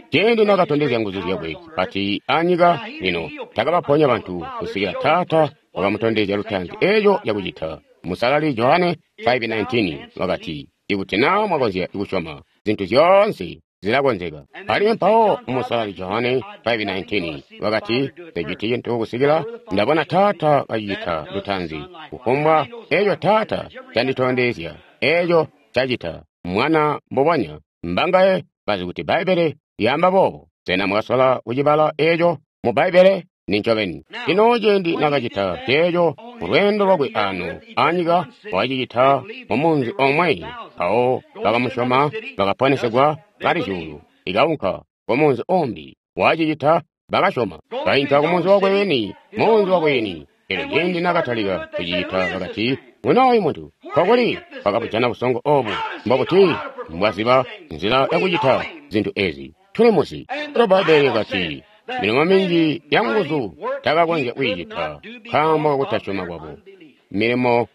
Ciindi naakatondezya nguzu zyakwe zipati anyika, lino takabaponya bantu kusikila Taata wakamutondezya lutaanzi eeco cakucita. Musalali Johane five nineteen wakati, ikuti naa mwakonzya kusyoma, zintu zyoonse Zilakonzeka. Alimwi mpawo Musalali Johane five nineteen wakati, Nseciti cintu kusikila ndabona Taata kacicita lutaanzi. Kufumbwa eco Taata canditondezya, eco cacita Mwana mbubonya. Mbangaye bazi kuti Bbaibbele lyaamba boobo? Sena mwakasola kucibala eco mu Bbaibbele? Nincobeni. Lino ciindi nakacita ceeco mu lweendo lwakwe ano anyika, wakacicita mu munzi omwe, mpawo bakamusyoma, bakaponesegwa bali zyuulu. Ikaunka ku munzi umbi, wacicita, bakasyoma. Kainka ku munzi wakwe weni, munzi wakwe weni. Elyo ciindi nakatalika kucicita, bakati, Ngunooyu muntu? Nkokuli wakabujana busongo obu? Mbobuti mbwaziba nzila yakucita zintu ezi? Tuli muzi. Elyo Bbaibbele lyakati, milimo minji ya nguzu takakonzya kwiicita nkaambo kakutasyoma kwabo. Milimo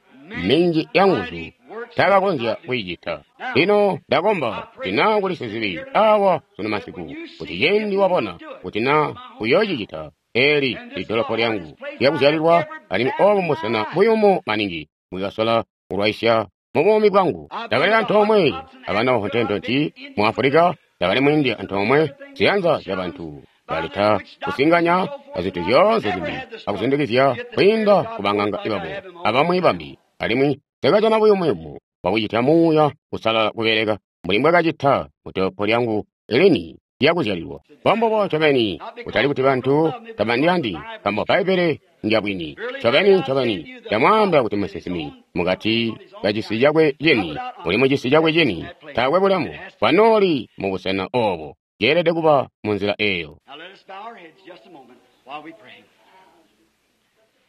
minji ya nguzu takakonzya kwiicita. Lino ndakomba kuti naa kuli sizibi awa sunu masiku, kuti ciindi wabona kuti naa uyoocicita, eli lidolopo lyangu lyakuzyalilwa, alimwi obu mbusena buyumu maningi mbwikasola kulwaisya mu buumi bwangu. Ndakali antoomwe abana Hottentot mu Afulika, ndakali mu India antoomwe, ziyanza zya bantu baleta kusinganya azintu zyoonse zimbi, akusindikizya kwiinda ku bang'anga babo abamwi bambi, alimwi ndakajana buyumuyumu bwakucita muuya kusalala kubeleka mbuli mbwakacita mu dolopo lyangu lini lyakuzyalilwa. Mbombubo ncobeni, kutali kuti bantu tabandiyandi, nkaambo Bbaibbele ndya bwini. Ncobeni, ncobeni, ndamwaambila kuti musinsimi mukati kacisi cakwe cini, uli mucisi cakwe cini, taakwe bulemu bwanooli mubusena obo. Ceelede kuba munzila eyo.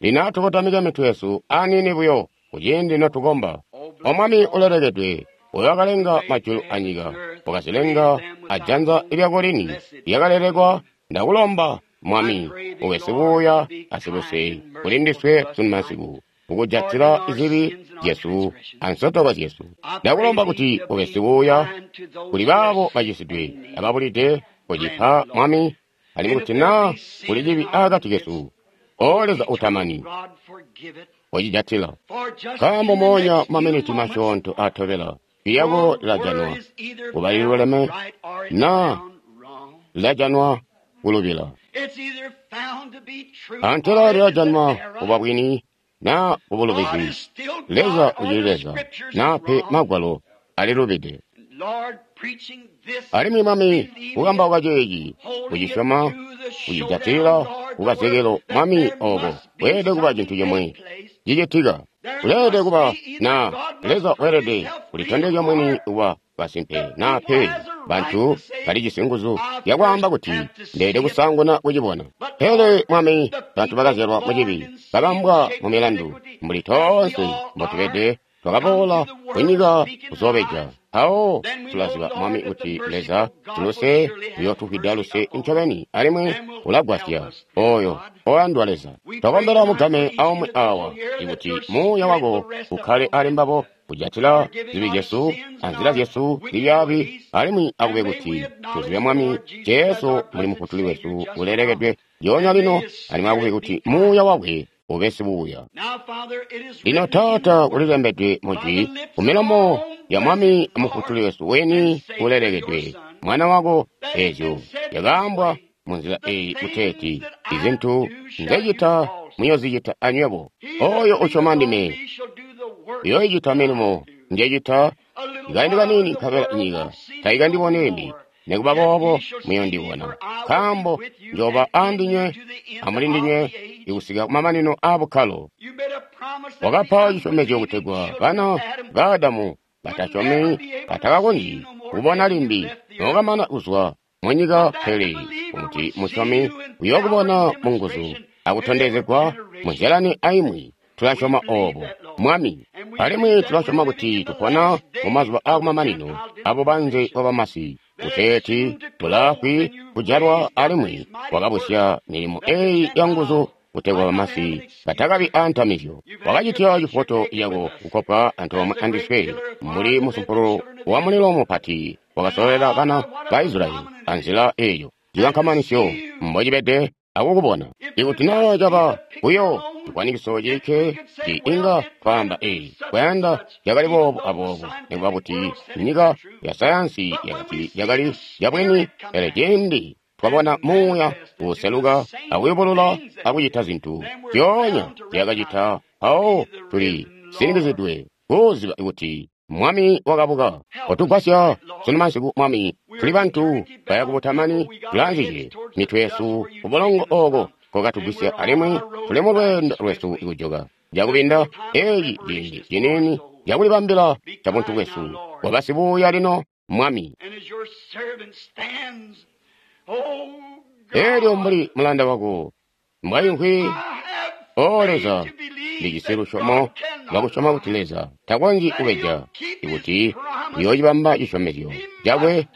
Lino atukotamike mitwe yesu aniini buyo kuciindi notukomba. O Mwami ulelekedwe, oyo wakalenga majulu anyika, wakazilenga ajanza lyako lini lyakalelekwa. Ndakulomba, Mwami, ube sibuuya asiluse kuli ndiswe sunu masiku, kukujatila zibi zyesu ansotoko zyesu. Ndakulomba kuti ube sibuuya kuli baabo bacisidwe ababulide kucipa, Mwami, alimwi kuti naa kuli cibi akati kesu, O Leza utamani, kocijatila. Nkaambo moonya maminiti masyoonto atobela, lyako lilajanwa kuba liluleme naa lilajanwa kulubila. Antela lilajanwa kuba bwini naa kubulubizi. Leza ucili Leza, naa pe Magwalo alilubide. Alimwi Mwami, kukambauka ceeci, kucisyoma, kucijatila kukazekelo, Mwami, obo weelede kuba cintu cimwe cicitika. Kuleelede kuba na Leza weelede kulitondezya mwini kuba kasimpe naa pe. Bantu balijisi nguzu yakwaamba kuti ndeelede kusaanguna kucibona. Pele Mwami, bantu bakazyalwa mucibi, babambwa mu milandu, mbuli toonse mbotubede, twakaboola kunyika kuzoobeja. Mpawo tulaziba, Mwami, kuti Leza siluse uyootufwida luse ncobeni, alimwi ulagwasya oyo oyandwa Leza. Twakombela mugame aumwi awa, ikuti muuya wako ukkale ali mbabo, kujatila zibi zyesu anzila zyesu zibyaabi, alimwi akube kuti tuzibe Mwami Jesu muli Mufutuli wesu ulelekedwe lyoonya lino, alimwi akube kuti muuya wakwe ube sibuuya. Lino Taata, kulilembedwe mujwi kumilomo ya Mwami Mufutuli wesu weni ulelekedwe, Mwana wako, ezyo yakaambwa munzila eyi kuteeti, izintu nzecita muyozicita anywebo. Oyo usyoma ndime uyoicita milimo njecita, kaindi kaniini nkabela nyika taikandiboni limbi, nikuba boobo muyondibona, nkaambo njoba andinywe amulindinywe ikusika kumamanino aabukkalo. Wakapa cisyomezyo kutegwa bana ba Adamu batasyomi batakakonzyi kubona limbi nokamana kuzwa munyika, pele kuti musyomi uyookubona munguzu akutondezegwa muzyalani aimwi. Tulasyoma oobo, Mwami, alimwi tulasyoma kuti tupona mumazuba aakumamanino abubanze bwabamasi, kuteeti bulaafwi kujalwa, alimwi wakabusya milimo eyi yanguzu kutegwa bamasi batakabi aantamizyo. Wakacitya cifoto cako kukopa antoomwe andiswe mbuli musumpululu wa mulilo mupati wakasololela bana ba Israyeli anzila eyo. Cikankamanisyo mbocibede akukubona. Ikuti na caba buyo cifwanikiso cilikke, ci inga twaamba ee, kwayanda cakali boobu aboobo, nikuba kuti nyika ya sayansi yakati cakali cabwini, pele ciindi twabona muuya kuseluka akuyubulula akucita zintu zyoonya zyakacita, mpawo tuli sinikizidwe kuziba kuti Mwami wakabuka. Kotugwasya sunu masiku, Mwami. Tuli bantu baya kubutamani, tulanzizye mitwe yesu kubulongo oko kokatugwisya, alimwi tuli mu lweendo lwesu kujoka. Cakubinda eeci ciindi ciniini cakulibambila cabuntu bwesu bwabasibuuya lino, Mwami. Elyo mbuli mulanda wako mbwaimvwi, O Leza, ndijisi lusyomo lwakusyoma kuti Leza takonzyi kubeja, ikuti uyoocibamba cisyomezyo cakwe,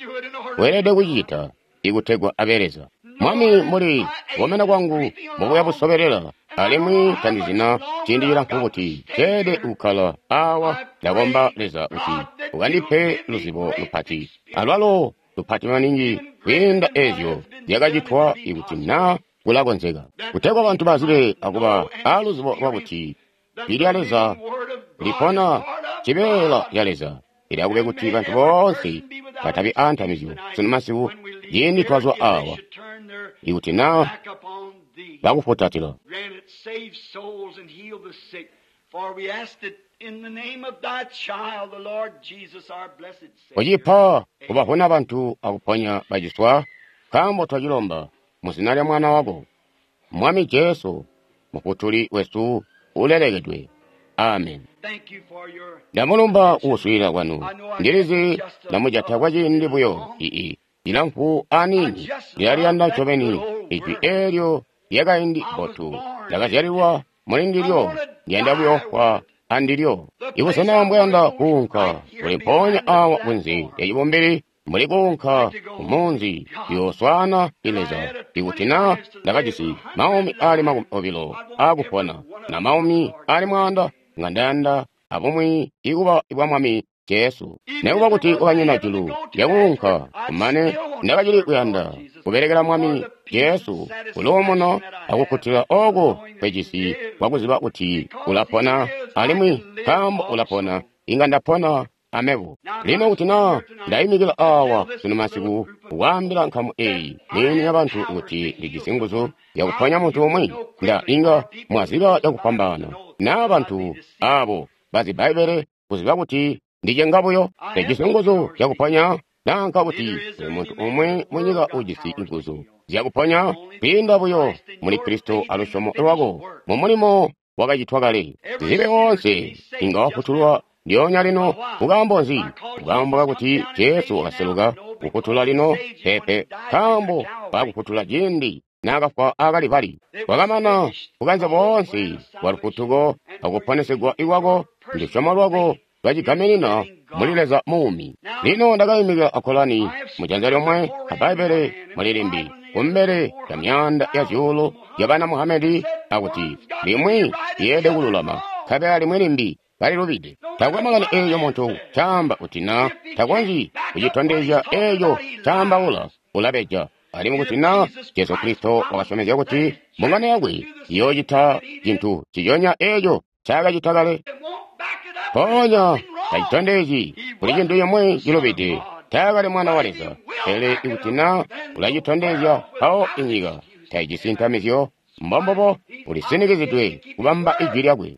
weelede kucicita ikutegwa abe Leza. Mwami, mbuli kukomena kwangu mbokuya busobelela, alimwi tandizina ciindi cilamfu kuti ceelede kukkala awa, ndakomba Leza kuti ukandipe luzibo lupati, alwalo lupati maningi kwiinda ezyo zyakacitwa, ikuti na kulakonzeka, kutegwa bantu bazibe akuba aluzibo lwakuti Jwi lya Leza lipona cibeela lya Leza. Ilakube kuti bantu boonse batabi aantamizyo sunu masiku ciindi twazwa awa, ikuti na bakufutatila. Kucipa kubavuna bantu akuponya baciswa, nkaambo twacilomba muzina lya Mwana wako, Mwami Jesu, Mufutuli wesu ulelekedwe. Amen. Ndamulumba kukuswiilila kwanu. Ndilizi ndamujata kwa ciindi buyo ii cilamfu aniini. Ndilaliyanda ncobeni ijwi eelyo lyakaindi bbotu. Ndakazyalilwa muli ndilyo, ndiyanda kuyofwa andilyo. Ibusena mbweyanda kuunka buli mpoonya awa kunze lya cibumbili, mbuli kuunka kumunzi yooswaana i Leza. Ikuti na ndakajisi maumi ali makumi obilo aakupona na maumi ali mwaanda, nga ndayanda abumwi ikuba bwa Mwami Jesu. Nikuba kuti kwakanyina julu lyakuunka, kumane ndakacili kuyanda kubelekela Mwami Jesu kuluumuno akukkutila oko kwejisi kwakuziba kuti ulapona, alimwi nkaambo ulapona inga ndapona amebo. Lino kuti na ndayimikila awa sunu masiku kuwaambila nkamu eyi niini yabantu kuti ndijisi nguzu yakuponya muntu umwi, nda inga mwaziba cakufwambaana naa bantu abo bazi Bbaibbele kuziba kuti ndicenga buyo. Ndijisi nguzu zyakuponya, nanka kuti kuli muntu umwi munyika ujisi nguzu zyakuponya kwiinda buyo muli Kristo alusyomo lwako mumulimo wakacitwa kale. Zibe woonse inga wafutulwa ndyoonya lino. Nkaambo nzi? Nkaambo kakuti Jesu wakaseluka kufutula lino? Peepe, nkaambo kakufutula ciindi naakafwa aakali. Wakamana bukanze boonse bwa lufutuko akuponesegwa ikwako, ndusyomo lwako lwacigaminina muli Leza muumi. Lino ndakayimikila akolani mujanza lyomwe a Bbaibbele muli limbi, kumbele lya myaanda ya zyuulu zya bana Muhamedi, akuti limwi lyeelede kululama, nkabela limwi limbi kalilubide. Takwe makani eeco muntu caamba kuti na takonzyi kucitondezya eeco caambaula, ulabeja. Alimwi kuti na Jesu Kristo wakasyomezya kuti mbungano yakwe iyoocita cintu ciconya eeco ncaakacita kale, mpoonya tacitondezyi kuli cintu cimwi cilubide, taakali Mwana wa Leza. Pele ikuti na ulacitondezya, mpawo inyika taijisi ntamizyo, mbombubo ulisinikizidwe kubamba ijwi lyakwe.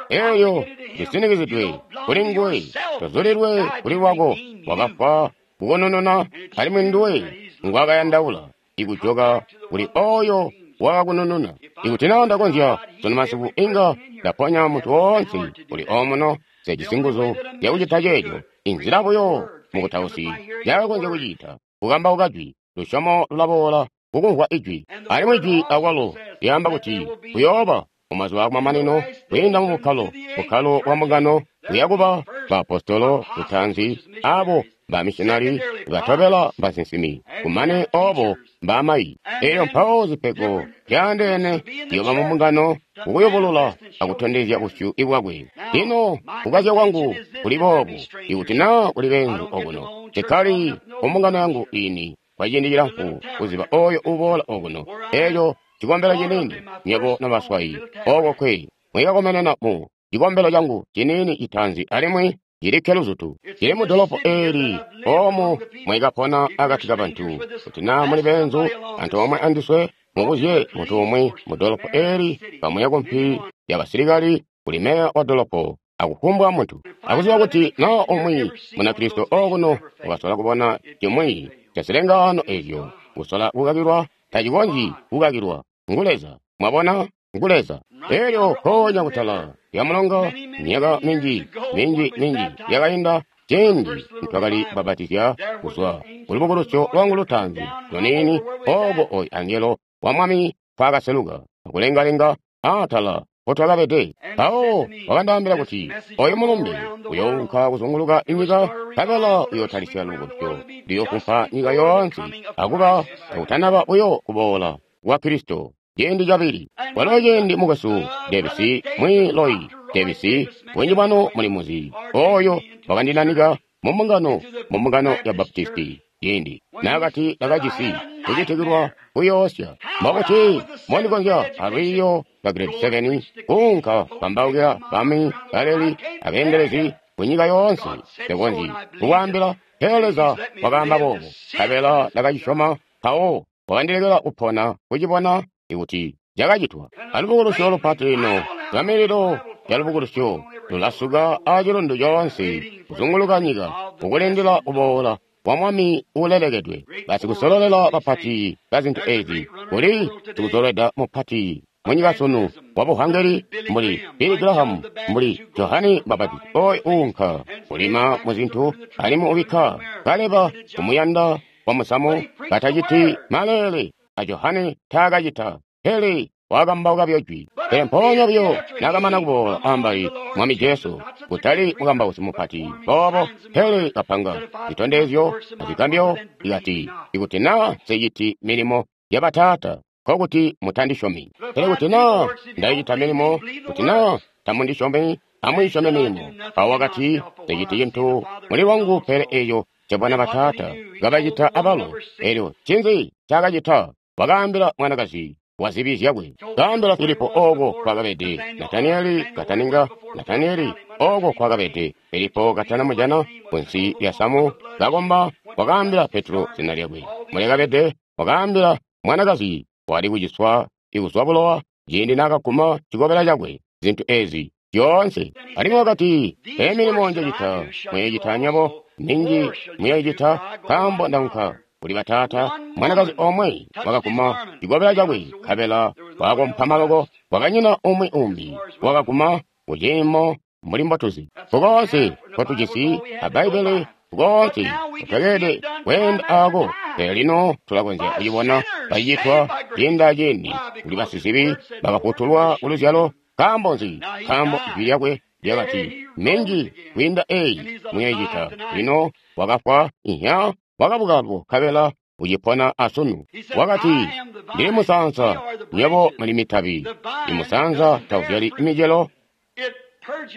Eelyo lisinikizidwe kuli nguwe, tozulilwe kuli lwako, wakafwa kukononona, alimwi nduwe ngwakayandaula ikujoka kuli oyo wakakunununa. Ikuti na ndakonzya sunu masiku inga ndaponya muntu woonse uli omuno, sejisi nguzu zyakucita ceeco. Inzila buyo mukutausi njaakakonzya kucita kukambauka jwi. Lusyomo lulaboola kukumvwa ijwi, alimwi jwi akwalo lyaamba kuti kuyooba mumazuba akumamanino kwiinda mubukkalo, bukkalo bwa mbungano kuyakuba baapostolo lutaanzi, abo bamisionari batobela basinsimi, kumane obo mbamayi. Elyo mpawo zipego zyaandeene ziyooba mu mbungano kukuyubulula akutondezya busyu bwakwe. Lino kukazya kwangu kuli boobu, ikuti naa kuli beenzu okuno, nsikkali ku mbungano yangu ini kwa ciindi cilamfu kuziba oyo uboola okuno. Eeco cikombelo ciniini, nywebo nobaswayi, oko kwe mwikakomenena mu cikombelo cangu ciniini citaanzi alimwi cilikke luzutu. Cili mu dolopo eeli oomu mwikapona akati kabantu. Kuti naa muli beenzu antoomwe andiswe, mubuzye muntu umwi mu dolopo eeli, kamuya kumpi ya basilikali kuli meya wa dolopo akufumbwa muntu. Akuziba kuti naa umwi Munakristo okuno wakasola kubona cimwi ca zilengaano ezyo, kusola kukakilwa, tacikonzyi kukakilwa. Ngu Leza. Mwabona? Ngu Leza. Elyo mpoonya kutala lya mulonga, myaka minji, minji, minji yakainda, ciindi nitwakali kubbapatizya kuzwa ku lubukulusyo lwangu lutaanzi luniini, oko oyu angelo wa Mwami nkwaakaseluka akulengalenga aatala mpotwakabede. Mpawo wakandaambila kuti oyu mulumbe uyounka kuzunguluka inyika, nkabela uyootalisya lubukulusyo luyoofumpa nyika yoonse, akuba kakutanaba buyo kuboola kwa Kristo ciindi cabili. Kwalo ciindi mukwesu Davis, mwi Loy Davis, bunji bwanu muli muzi, oyo wakandinanika mu mbungano, mu mbungano ya Baptisti ciindi naakati ndakajisi kucitikilwa kuyoosya. Mbobuti mbondikonzya alwiiyo lwa grade seven kuunka kambaukila bami, baleli, abeendelezi ku nyika yoonse? Nsekonzyi kukwaambila, pele Leza wakaamba boobo, nkabela ndakacisyoma. Mpawo wakandilekela kupona kucibona ikuti cakacitwa. Alubukulusyo lupati lino lwa mililo ya lubukulusyo lulasuka acilundu coonse kuzunguluka nyika, kukulindila kuboola kwa Mwami uulelekedwe. Basikusololela bapati ba zintu ezi, kuli sikusolweda mupati munyika sunu wa buhangeli mbuli Billy Graham, mbuli Johane Mbapatizi oyo uunka kulima mu zintu alimwi ubikka kaleba kumuyanda wa musamu, kataciti maleele a Johane taakacita, pele wakambauka buyo jwi. Pele mpoonya buyo naakamana kuboola ambali Mwami Jesu, kutali mukambausi mupati boobo, pele kapanga zitondezyo azigambyo, ikati, ikuti naa nseciti milimo ya Bataata, nkokuti mutandisyomi. Pele kuti naa ndaicita milimo, kuti naa tamundisyomi, amwiisyome milimo. Mpawo wakati, nseciti cintu muli lwangu pele eeco ncebona Bataata kabacita abalo. Elyo ncinzi ncaakacita? Wakaambila mwanakazi wa zibi zyakwe. Kaambila Filipo oko kwakabede Nataniyeli kataninga, Nataniyeli oko kwakabede Filipo katana mujana kunsi lya samu kakomba, wakaambila Petro zina lyakwe mulyakabede, wakaambila mwanakazi wali kuciswa ikuzwa bulowa ciindi naakaguma cikobela cakwe, zintu ezi zyoonse. Alimwi wakati, ee milimo njecita muyoicita anywebo, minji muyoicita, nkaambo ndaunka kuli Bataata. Mwanakazi omwe wakaguma cikobela cakwe, nkabela wakompa maloko. Kwakanyina umwi umbi wakaguma kuciimo mbuli mbotuzi. Nkukoonse nkotujisi a Bbaibbele, nkukoonse nkotweelede kweenda aako. Pele lino tulakonzya kucibona kacicitwa ciindi aciindi kuli basizibi bakafutulwa kuluzyalo. Nkaambo nzi? Nkaambo ijwi lyakwe lyakati, minji kwiinda eyi muyoicita. Lino wakafwa, inya wakabuka nkabela ucipona asunu. Wakati, ndili musaansa, nywebo muli mitabi. Imusaansa tauzyali micelo,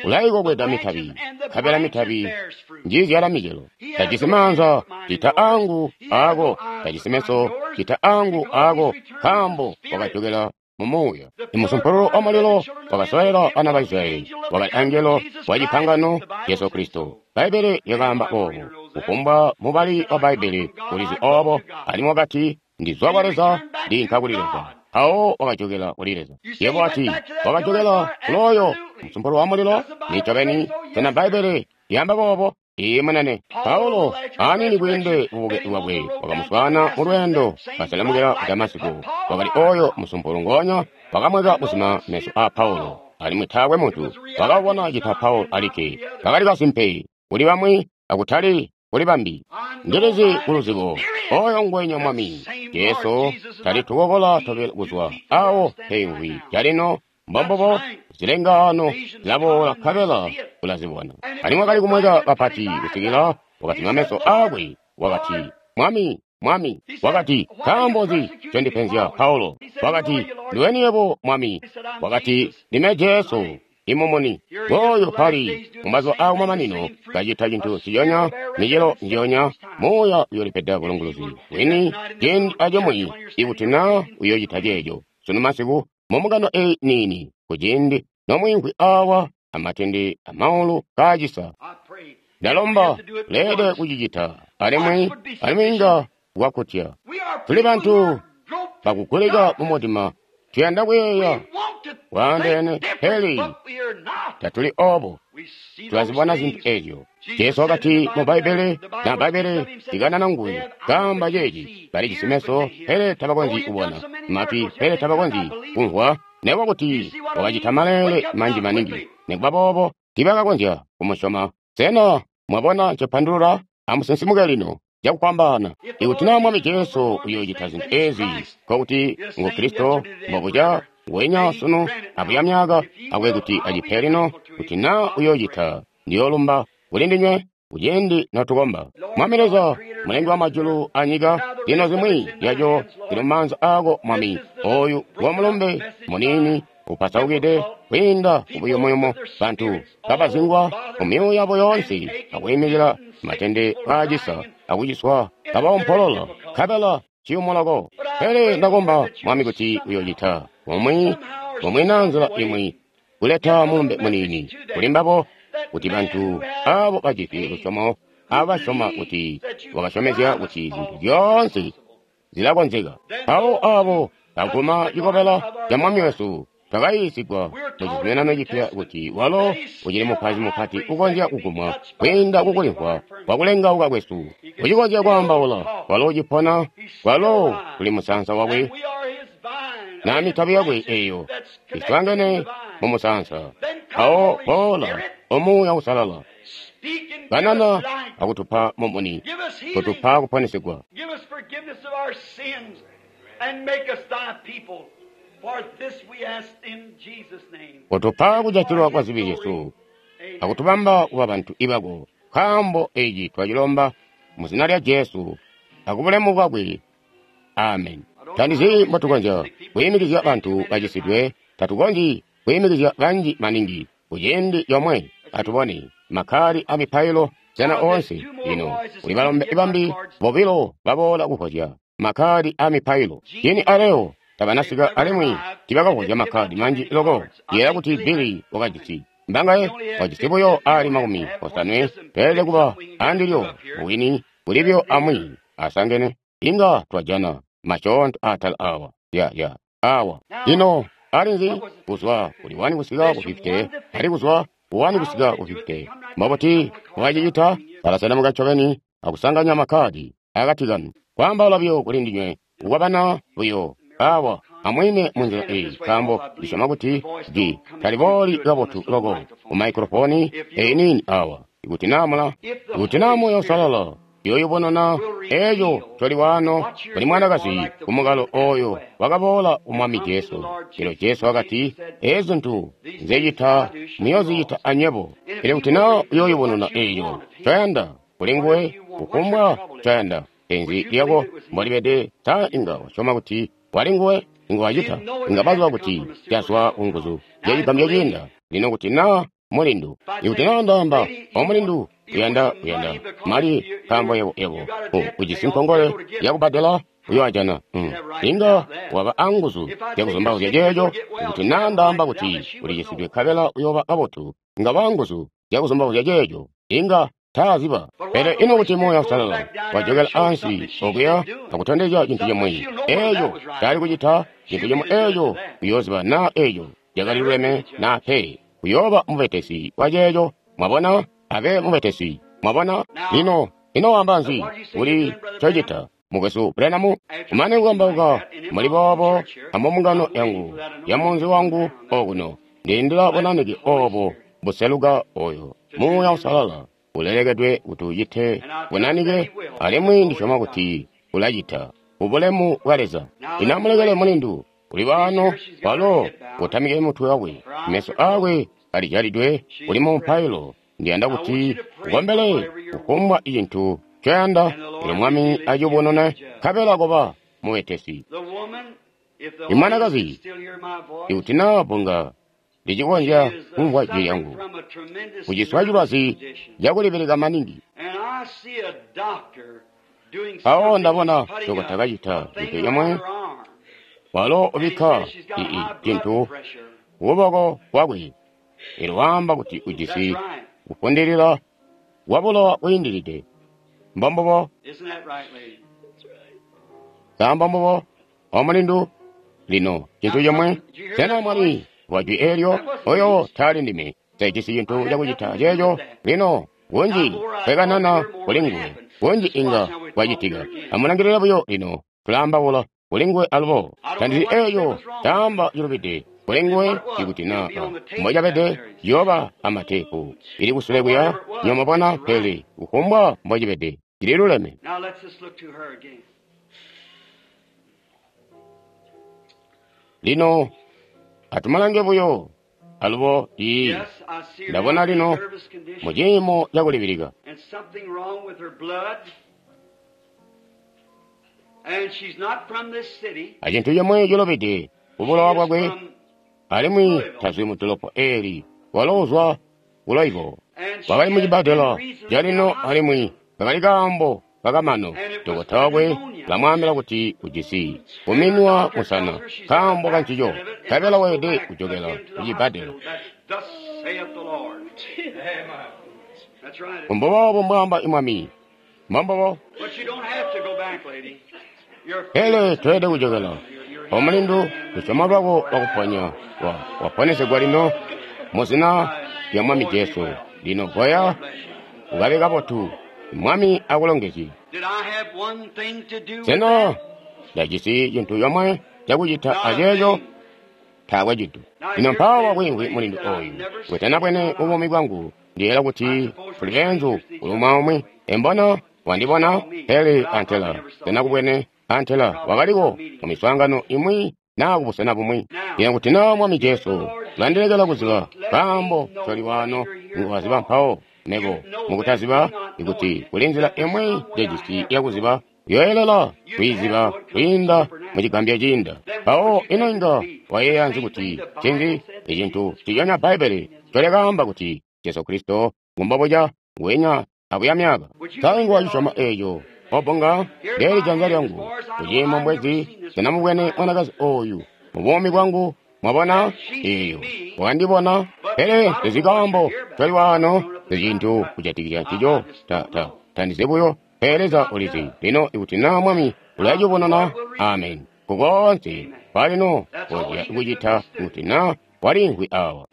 ulaikokweda mitabi, nkabela mitabi njiizyala micelo. Tajisi maanza, cita angu aako, tajisi meso, cita angu aako, nkaambo wakajokela mu muuya. Imusumpululu wa mulilo wakasolela bana ba Israyeli, wakali angelo wa cipangano, Jesu Kristo. Bbaibbele lyakaamba oobo. Kufumbwa mubali wa Bbaibbele ulizi oobo. Alimwi wakati, ndizwa kwa Leza, ndiinka kuli Leza. Mpawo wakajokela kuli Leza. Yebo wati, wakajokela kulooyo musumpululu wa mulilo? Nincobeni, sena Bbaibbele lyaamba boobo? Iye munene. Paulo anini kwiinde bubuke bwakwe wakamuswaana mu lweendo kaselemukila ku Damasiko. Wakali oyo musumpulu ngoonya wakamweka kuzima meso a Paulo, alimwi taakwe muntu wakabona cita Paulo alikke. Kakali kasimpe kuli bamwi akutali kuli bambi. Ndilizi kuluzibo oyo ngwenya Mwami Jesu tali tukokola tobile kuzwa awo peimvwi calino. Mbombubo zilengaano zilaboola nkabela ulazibona. Alimwi wakali kumweka kapati kusikila wakazima meso aakwe, wakati, Mwami, Mwami. Wakati, nkaambo nzi ncondipenzya, Paulo? Wakati, ndiweni yebo, Mwami? Wakati, ndime Jesu, imumuni. Ngooyu pali mumazuba aakumamanino kacita cintu nciconya, micelo njiyonya, muuya uyoolipeda bulunguluzi bwini ciindi acimwi ikuti naa uyoocita ceeco. sunu masiku mu mbungano eyi niini, kuciindi nomwiimvwi awa amatende amaulu kaacisa. Ndalomba leelede kucicita, alimwi alimwi inga bwakutya. Tuli bantu bakugulika mu mudima, tuyanda kuyeeya waandeene, pele tatuli obo. Tulazibona zintu ezyo. Jesu wakati mu Bbaibbele, na Bbaibbele likanana nguwe, kaamba ceeci, balijisi meso, pele tabakonzyi kubona, matwi, pele tabakonzyi kumvwa, nekuba kuti wakacita maleele manji maningi, nekuba boobo tiibakakonzya kumusyoma. Sena mwabona ncopandulula? Amusinsimuke lino cakufwambaana. Ikuti naa Mwami Jesu uyoocita zintu ezi, nkokuti ngu Kristo mbobuca nguwenya sunu abuya myaka, akube kuti acipe lino. Kuti naa uyoocita, ndiyoolumba kuli ndinywe kuciindi notukomba. Mwami Leza, Mulengi wa majulu anyika, lino zimwi zyaco zili mumaanza aako Mwami. Oyu ngo mulumbe muniini upasaukide kwiinda kubuyumuyumu, bantu kabazingwa mu myoyo yabo yoonse, akwiimikila matende kaacisa akuciswa kabaompolola, nkabela ciyumu loko. Pele ndakomba Mwami kuti uyoocita umwi umwi naa nzila imwi kuleta mulumbe muniini kuli mbabo, kuti bantu abo bajisi lusyomo abasyoma kuti wakasyomezya kuti zintu zyoonse zilakonzeka. Mpawo abo baguma cikobela ca Mwami wesu twakayiisigwa mu Cizuminano Cipya kuti walo ucili mupaizi mupati ukonzya kugumwa kwiinda kukulimvwa kwakulengauka kwesu, ucikonzya kwaambaula, walo ucipona, walo tuli musaansa wakwe na mitabi yakwe eyo iswaangene mu musaansa. Mpawo boola o Muuya Uusalala, kanana akutupa mumuni, kutupa kuponesegwa. Kutupa kujatilwa kwa zibi zyesu, akutubamba kuba bantu ibako, nkaambo eci twacilomba mu zina lya Jesu akubulemu bwakwe. Amen. Tandizi mbotukonzya kwiimikizya bantu bacisidwe, tatukonzyi kwiimikizya banji maningi kuciindi comwe. Atubone makali a mipailo sena oonse. Lino kuli balombe bambi bobilo baboola kuvozya makali a mipailo. Jini aleo tabanasika alimwi tibakavozya makadi manji loko. Yeeya kuti Billy wakajisi mbangaye, wajisi buyo ali makumi osanwe, pele kuba andilyo bwini kulibyo amwi asangene inga twajana masyoonto atala awa ya ya awa. Lino alinzi kuzwa kuli wani kusika ku fifty, ali kuzwa ku wani kusika ku fifty. Mbobuti mwacicita? Balaselemuka ncobeni akusanganya makadi akati kanu, kwaambaula buyo kuli ndinywe, kukwabana buyo awa. Amwiime munzila eyi, nkaambo ndisyoma kuti ji talibooli kabotu loko ku maikrofoni eyi niini awa. Ikuti naa mula, ikuti naa Muuya Uusalala uyoyubununa eco coli waano kuli mwanakazi kumukalo oyo wakaboola ku Mwami Jesu. Elyo Jesu wakati, ezi zintu nzecita muyoozicita anywebo. Pele kuti naa uyoyubununa eco coyanda kuli nguwe, kufumbwa coyanda, penzi lyako mbolibede, sa inga wasyoma kuti wali nguwe? Inga wacita, inga baziba kuti cazwa ku nguzu zyacigambyo ciinda. Lino kuti naa mulindu, ikuti naa ndaamba o mulindu, uyanda uyanda mali nkaambo yebo yebo ujisi nkongole yakubbadela, uyoajana. Mm. Inga waba anguzu zyakuzumbauzya ceeco. Ikuti naa ndaamba kuti ulicisidwe nkabela uyooba kabotu, inga wa nguzu zyakuzumbauzya ceeco, inga taaziba. Pele ino kuti Muuya Uusalala wajokela ansi okuya akutondezya cintu cimwi eeco cali kucita cintu cimwi eeco, uyooziba naa eeco cakali luleme naa pe. Uyooba mubetesi wa ceeco. Mwabona? Abe mubetesi. Mwabona? Lino ino wamba nzi kuli cocita, Mukwesu Branham? Kumane kukambauka muli boobo amumbungano yangu ya munzi wangu okuno, ndilindila bunanike obo buseluka oyo Muuya Uusalala ulelekedwe kuti ucite bunanike, alimwi ndisyoma kuti ulacita ubulemu bwa Leza. Lino amulekele mulindu uli waano, walo utamike mutwe wakwe, meso akwe alijalidwe, uli mu mupailo. Ndiyanda kuti ukombele kufumbwa cintu coyanda, elyo Mwami acibonone, nkabela koba mubetesi. Imwanakazi, ikuti naa bbunga licikonzya kumvwa jwi lyangu, kuciswa cilwazi cakulibilika maningi. Mpawo ndabona dokota kacita cintu cimwe, Walo ubikka ii cintu kuboko kwakwe. Elyo waamba kuti ujisi kufundilila kwa bulowa bwiindilide. Mbombubo. Sa mbombubo, omulindu? Lino, cintu comwe, sena mwali wa jwi eelyo? Oyo taali ndime. Nse cintu cakucita ceeco. Lino, kunji kwekanana kuli nguwe, kunji inga kwacitika. Amulangilile buyo lino, tulaambaula kuli nguwe alubo. Tandizi eeco taamba cilubide kuli nguwe ikuti na mbocabede ciyooba amateepu. Ili kusule kuya, nyomubona, pele kufumbwa mbocibede cililuleme. Lino atumulange buyo alubo. Ii, ndabona lino muciimo cakulibilika. Acintu comwe cilubide kubulowa bwakwe, alimwi tazwi mu dolopo eeli. Walo uzwa ku Louisville. Wakali mucibbadela calino alimwi kakali kaambo kakamano. Dokota wakwe ulamwaambila kuti ujisi kuminwa musana nkaambo kancico, nkabela weelede kujokela kucibbadela. Mbuboobo mbwaamba Mwami. Mbombubo. Pele tweelede kujokela. Omulindu, lusyomo lwako lwakuponya waponesegwa lino muzina lya Mwami Jesu. Lino goya ukabe kabotu. Mwami akulongezye. Sena ndajisi cintu comwe cakucita aceeco? Taakwe cintu. Lino mpaawa kwiimvwi mulindu oyu. Bwetanabwene buumi bwangu, ndiyeeyela kuti tuli beenzu kulumwa umwi. Embona wandibona, pele antela tenakubwene, antela wakaliko mu miswaangano imwi naa kubusena bumwi. Lino kuti naa Mwami Jesu ulandilekela kuziba kaambo toli waano, waziba mpawo mebo mukutaziba ikuti kuli nzila imwi njejisi yakuziba, yoyelela kwiiziba kwiinda mucigambyo ciinda. Mpawo ino inga wayeeya nzi kuti ncinzi icintu ciconya Bbaibbele ncolyakaamba kuti Jesu Kristo ngumbobuca nguwenya abuya myaka? Sa inga wacisyoma eeco? Obonga ndeeli janza lyangu kuciimo mbwezi senamubwene mwanakazi oyu mubuumi bwangu. Mwabona eeyo wakandibona, pele tezi kaambo toli waano, tecintu kujatikizya ncico. Ta ta tandizi buyo, pele Leza ulizi. Lino ikuti naa Mwami ulacibonana, amen. Kukoonse kwalino konzya kucita kuti naa waliimvwi awa.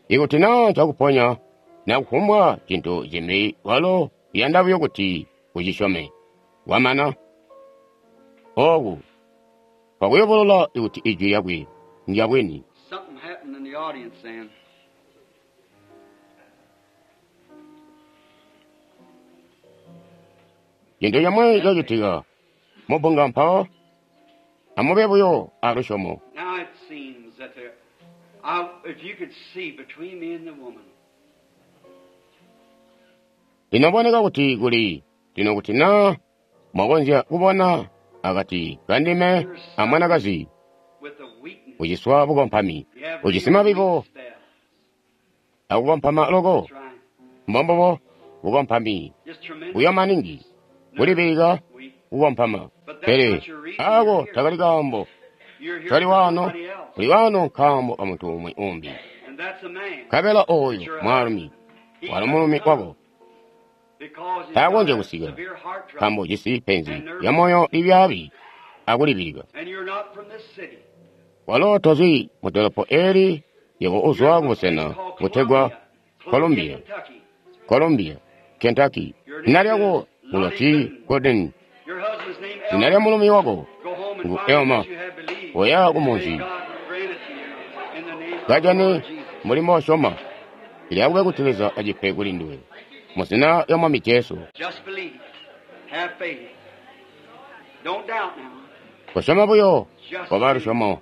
Ikuti naa ncakuponya na kufumbwa cintu cimbi, walo uyanda buyo kuti ucisyome. Wamana ooku kwakuyobolola kuti ijwi lyakwe ndyabwini. Cintu comwe cacitika mubbunga mpawo, amube buyo alusyomo. Lino boneka kuti kuli lino kuti naa mwakonzya kubona akati kandime amwanakazi uciswa bukompami, ujisi mabibo akukompama loko. Mbombubo bukompami buyo maningi, kulibilika, kukompama. Pele ako takali kaambo toli waano, uli waano nkaambo ka muntu umwi umbi. Nkabela oyu mwaalumi walo mulumi wako taakonzya kusika nkaambo ujisi penzi lya moyo libyaabi akulibilika. Walo tozwi mu dolopo eeli, yebo uzwa kubusena butegwa Columbia, Columbia, Kentucky. Zina lyako ngu Lottie Gordon. Zina lya mulumi wako ngu Elmer. Oya kumunzi kajane mulimo osyoma. Lyakube kuti Leza acipe kuli nduwe mu zina lya Mwami Jesu. Kosyoma buyo, koba lusyomo.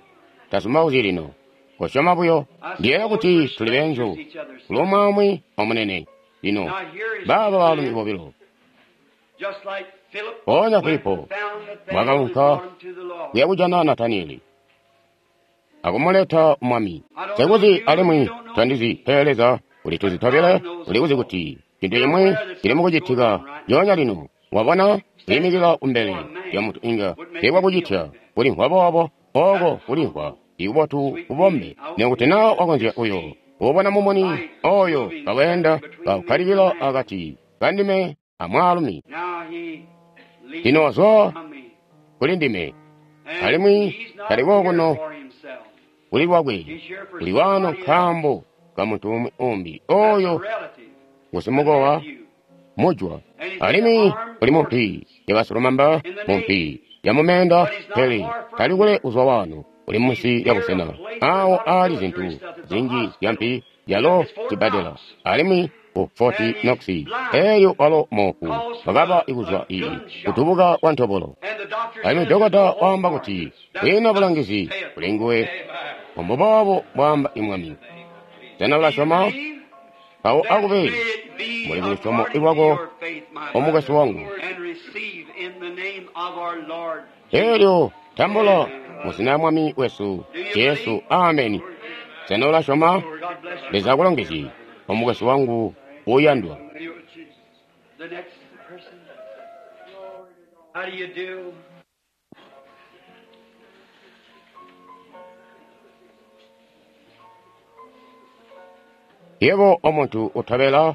Tasumbauzyi lino. Kosyoma buyo. Ndiyeeya kuti tuli beenzu kulumwaamwi omunene. Lino baaba baalumi bobilo. Mpoonya Filipo wakaunka kuya kujana Nataniyeli akumuleta Mwami. Sekuzi alimwi tandizi, pele Leza ulituzi tobile, ulikuzi kuti Cintu cimwi cili mukucitika lyoonya lino. Wabona, kwiimikila kumbele lya muntu inga teekwakucitya kulimvwa boobo, oko kulimvwa ikubotu kubombe. Nekuti naa wakonzya uyo ubona mumuni oyo kaweenda kakukkalikila akati kandime amwaalumi. Lino wazwa kuli ndime, alimwi tali kokuno kuli lwakwe, kuli wano nkaambo ka muntu umwi umbi oyo ngusimukowa mujwa, alimwi kuli mumpi yabasilumamba, mumpi yamumenda, pele tali kule kuzwa wano, uli munsi lya busena awo aali zintu zinji zyampi yalo cibbadela, alimwi ku Fort Knox eyo walo moofu wakaba ikuzwa iyi kutubuka kwa ntobolo, alimwi dokota waamba kuti kwiina bulangizi kuli nguwe. Mbuboobo bwaamba imwami. Sena ulasyoma? Mpawo akube muli kulusyomo lwako, omukwesu wangu. Elyo tambula muzina lya Mwami wesu Jesu. Ameni. Sena ulasyoma? Leza akulongezye, omukwesu wangu uyandwa. Yebo omuntu utobela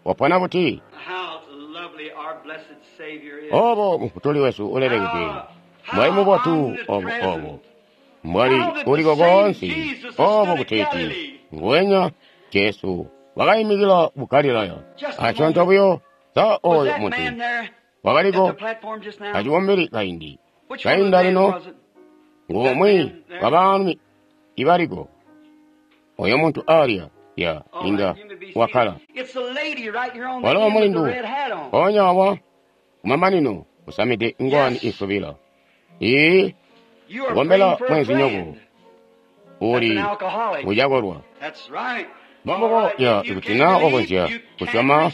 wapona buti? Obo mufutuli wesu ulelekedwe, mbwali mubotu obo obo mbwali uliko koonse obo kuteeti nguwenya Jesu wakayimikila ku Galilaya. Asyoonto buyo sa oyo muntu wakaliko acibumbili kaindi kainda lino ngumwi wa baalumi ibaliko. Oyo muntu alya ya inga wakkala walo mulindu mpoonya awa kumamanino usamide ngwani isubila. Ii kukombela mwenzinyoko uli kucakolwa. Mbombubo ya ikuti naa wakonzya kusyoma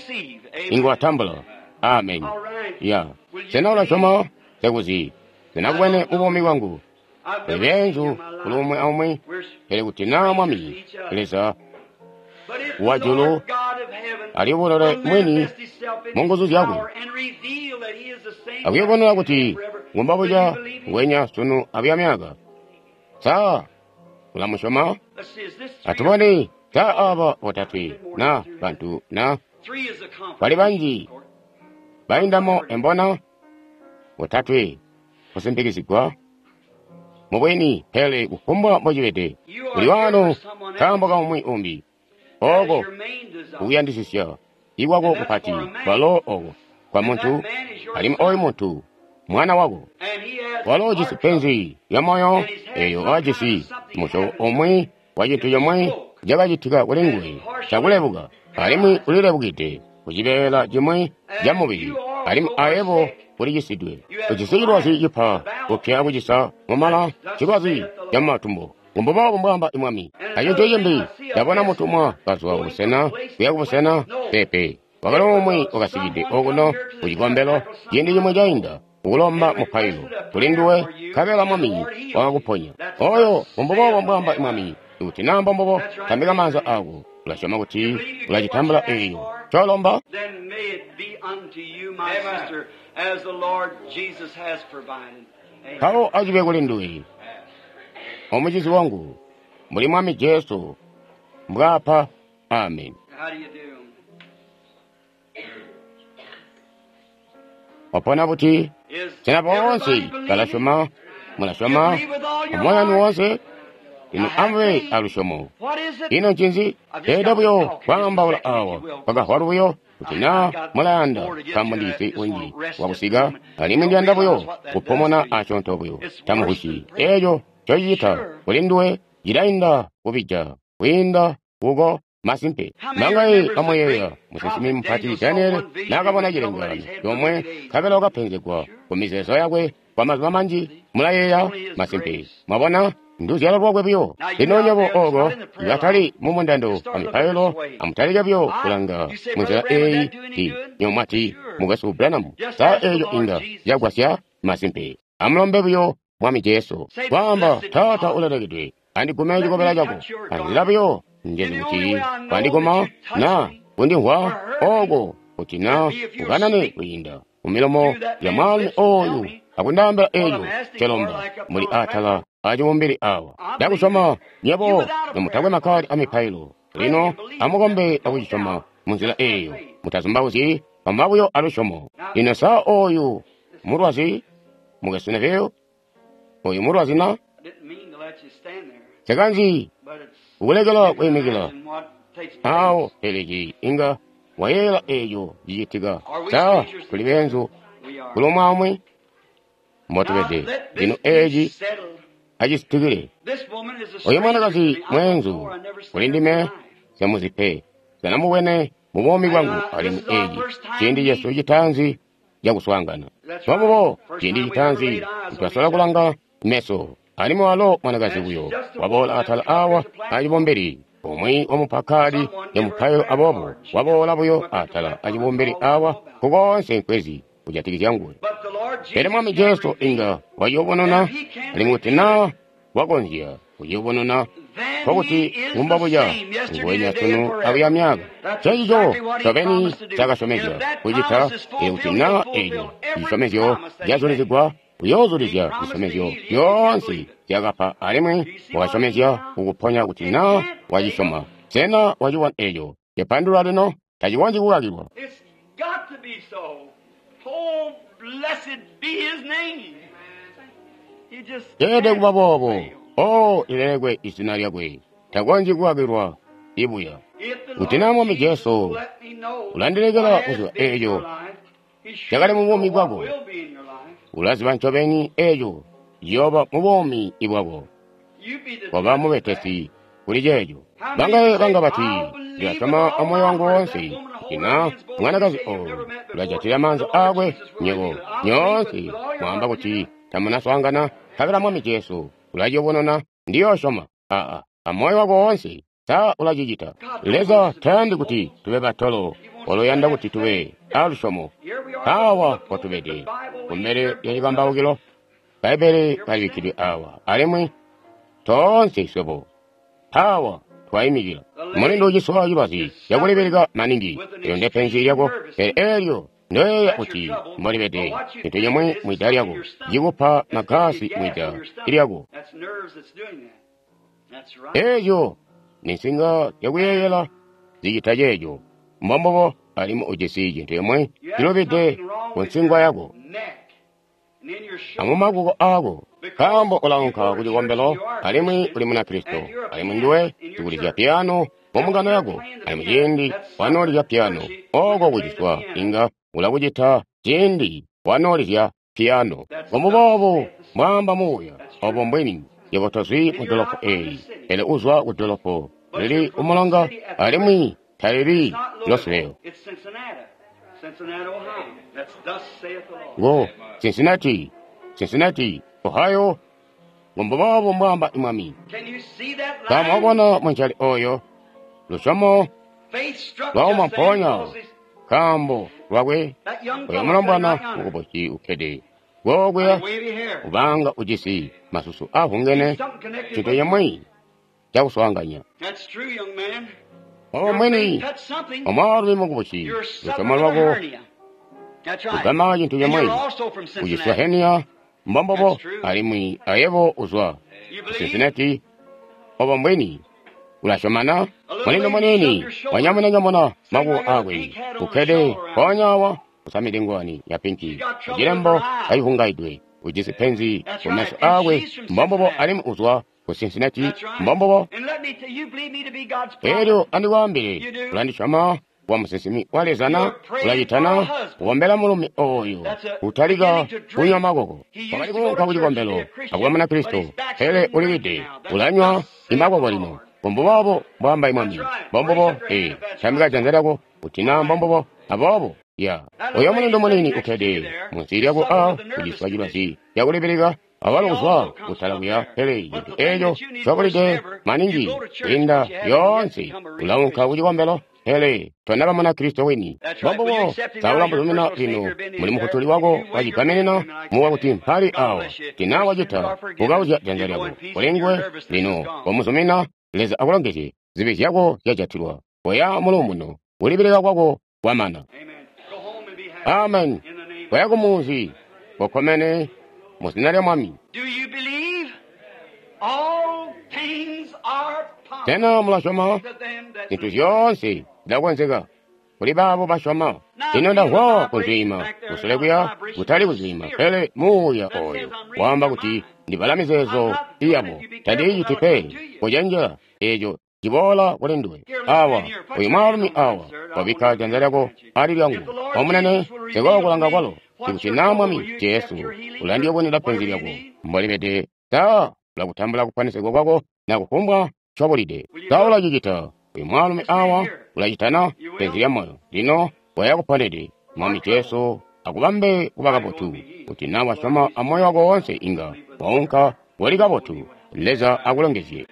inga watambula. Ameni. Ya sena ulasyoma? Sekuzi sena kubwene mubuumi bwangu tuli beenzu kuli umwi aumwi, pele kuti naa Mwami Leza wa julu aliyubulule mwini mu nguzu zyakwe akuyubununa kuti ngumbabuca ngwenya sunu abuya myaka. Sa ulamusyoma? Atubone sa aba botatwe na bantu na bali banji baindamo embona botatwe kusimpikizigwa mubwini, pele kufumbwa mbocibede kuli wano nkaambo kaumwi umbi oko kukuyandisisya ikwako kupati kwalo oko kwa muntu, alimwi oyu muntu mwana wako walo ujisi penzi lya moyo eyo ajisi musyobo umwi wa cintu comwe cakacitika kuli nguwe cakulebuka, alimwi ulilebukide kucibeela cimwi ca mubili, alimwi ayebo ulicisidwe. Ujisi cilwazi cipa kupya kucisa mumala, cilwazi ca mumatumbo. Mbuboobo mbwaamba Mwami. Acintu cimbi, ndabona mutumwa kazwa kubusena kuya kubusena pepe. Wakali umwi wakasikide okuno ku cikombelo ciindi cimwe cainda kukulomba mupailo kuli nduwe, nkabela Mwami wakakuponya. Oyo mbuboobo mbwaamba Mwami. Ikuti naa mbombubo, tambika maanza ako. Ulasyoma kuti ulacitambula eyo colomba? Mpawo acibe kuli nduwe, omucizi wangu, mbuli Mwami Jesu mbwaapa. Amen. Wapona buti? Sena boonse balasyoma? Mulasyoma amoyo wanu woonse? Lino amube alusyomo. Ino ncinzi? Teelede buyo kwaambaula awa kwakahwalu buyo kuti naa mulayanda, nkaambo ndijisi unji wakusika, alimwi ndiyanda buyo kupomona asyoonto buyo. Tamukuci eeco ncocicita kuli nduwe cilainda kubija kwiinda kuko masimpe. Mangaye amuyeeya musinsimi mupati Daniele naakabona cilengaano comwe, nkabela wakapenzegwa ku mizeezo yakwe kwa mazuba manji. Mulayeeya masimpe. Mwabona, nduzyalo lwakwe buyo. Lino nywebo oko ibatali mumundando wa mipailo, amutalike buyo kulanga munzila eyi ti nyomwati mukwesu Branham. Sa eeco inga cagwasya? Masimpe. Amulombe buyo Mwami Jesu kwaamba, Taata ulelekedwe, andigume cikobela cako. Anzila buyo njezi kuti wandiguma na kundimvwa oko kuti na ukanane kwiinda mu milomo ya mwaalumi oyu akundaambila eeco celomba muli atala acibumbili awa. Ndakusyoma nyebo nomutakwe makadi amipailo. Lino amukombe akucisyoma munzila eeyo, mutazumbauzyi pamabuyo alusyomo. Lino sa oyu mulwazi mukwesu Neville, oyu mulwazi na? Nsekanzi kukulekela kwiimikila awo, pele ci inga wayeeyela eeco cicitika. Sa tuli beenzu kulomwamwi mbotubede? Lino eeci acisitikile. Oyu mwanakazi mweenzu kuli ndime, nsemuzi pe, nsenamubwene mu buumi bwangu, alimwi eeci ciindi cesu citaanzi cakuswaangana. Mbobubo ciindi citaanzi twasola kulanga meso, alimwi walo mwanakazi buyo waboola atala awa acibumbili. Umwi wamupa kadi ya mupailo, aboobo waboola buyo atala acibumbili awa kukoonse nkwezi kujatikizya nguwe. Pele Mwami Jesu inga wayubununa, alimwi kuti naa wakonzya kuyubununa, nkokuti ngumbabuya nguwenya sunu abuya myaka. Ncencico ncobeni ncaakasyomezya kucita. Pele kuti naa eeco cisyomezyo cazulizigwa, uyoozulizya zisyomezyo zyoonse zyakapa, alimwi wakasyomezya kukuponya kuti naa wacisyoma. Sena wacibona eeco cepandulula lino? Tacikonzyi kukakilwa. Ceelede kuba boobo. O lilelekwe izina lyakwe. Takonzyi kukakilwa ibuya. Kuti naa Mwami Jesu ulandilekela kuziba eeco cakali mu buumi bwako, ulaziba ncobeni eeco ciyooba mu buumi bwako. Koba mubetesi kuli ceeco. Bangaye banga bati, ndilasyoma amoyo wangu woonse. Kuti naa mwanakazi oyu ulajatila maanza aakwe, nywebo nyoonse mwaamba kuti tamunaswaangana, nkabela Mwami Jesu ulaciyubununa, ndiyoosyoma. Aa, amoyo wako woonse, sa ulacicita? Leza tayandi kuti tube batolo, walo kuti tube alusyomo. Awa mpotubede kumbele lya cikambaukilo, Bbaibbele kalibikkidwe awa, alimwi toonse swebo awa twayimikila. Mulindu uciswa cilwazi cakulibilika maningi, elyo ndepenzi lyako, pele eelyo ndoyeeya kuti mbolibede cintu cimwi mwida lyako cikupa magasi mwida lyako. Eeco ninsinga zyakuyeeyela zicita ceeco. Mbombubo, alimwi ujisi cintu cimwi cilubide ku nsingo yako amumakuko aako, nkaambo ulaunka ku cikombelo alimwi uli Munakristo, alimwi nduwe sikulizya piyano mu mbungano yako, alimwi ciindi wanoolizya piyano oko kuciswa inga ulakucita ciindi wanoolizya piyano. Mbombubo mbwaamba Muuya, obo mbwini. Yebo tozwi mu dolopo eeli, pele uzwa ku dolopo lili kumulonga, alimwi talili Louisville. Ngo Cincinnati, Cincinnati, Ohio. Ngombubo mbwaamba Mwami. Kamwabona muncali oyo, lusyomo lwauma mpoonya nkaambo lwakwe oyo mulombwana mukubusi ukkede gokuya ubanga ujisi masusu avungene, cintu cimwi cakuswaanganya. Obo mwini omwaalumi mukubusi, lusyomo lwako lugama cintu cimwi, uciswa heniya. Mbombobo, alimwi ayebo uzwa ku Cincinnati. Obo mbwini. Ulasyomana? Mulindu muniini wanyamunanyamuna makuko aakwe, ukkede mpoonya awa usamide ngowani ya pinki, acilembo kayivungaidwe, ujisi penzi kumeso aakwe. Mbombobo, alimwi uzwa ku Cincinnati. Mbombobo. Elyo andikwaambile, ulandisyoma wa musinsimi wa Leza na ulacitana kukombela mulumi oyo utalika kunywa makoko. Wakali kuunka ku cikombelo akuba Munakristo, pele ulilide ulanywa imakoko lino. Mbombubo mbwaamba Mwami. Mbombubo. Ee, tambika janza lyako kuti naa mbombubo. Aboobo ya oyo mulindu muniini ukkede munsi lyako a kuciswa cilwazi cakulibilika, awalo kuzwa kutala kuya, pele cintu eeco cobulide maningi kwiinda yoonse, ulaunka ku cikombelo, pele tonaba Munakristo wini. Mbombubo. Saula lino muli mufutuli wako wacigamenena muwa kuti mpali awa tina wacita ukauzya janza lyako kulinguwe lino wamuzumina. Leza akulongezye, zibi zyako zyajatilwa. Koya muluumuno, Kulibilika kwako kwamana. Amen. Koya kumuunzi kokkomene mu zina lya Mwami. Sena mulasyoma? Zintu zyoonse zilakonzeka kuli baabo basyoma. Ino ndamvwa kuzwima kusule kuya kutali kuzwima, pele muuya oyo waamba kuti ndibala mizeezo yabo tandiiciti pe. Kucenjela eeco ciboola kuli nduwe. Awa uyu mwaalumi awa wabikka janza lyako ali lyangu. Omunene, nsikookulanga kwalo. Ikuti naa Mwami Jesu ulandiyubununa penzi lyako mbolibede, sa ulakutambula kuponesegwa kwako na kufumbwa ncobulide? Sa ulacicita? Uyu mwaalumi awa ulacitana penzi lya moyo. Lino waya kuponede. Mwami Jesu akubambe kuba kabotu. Kuti naa wasyoma amoyo wako woonse inga waunka wali kabotu. Leza akulongezye.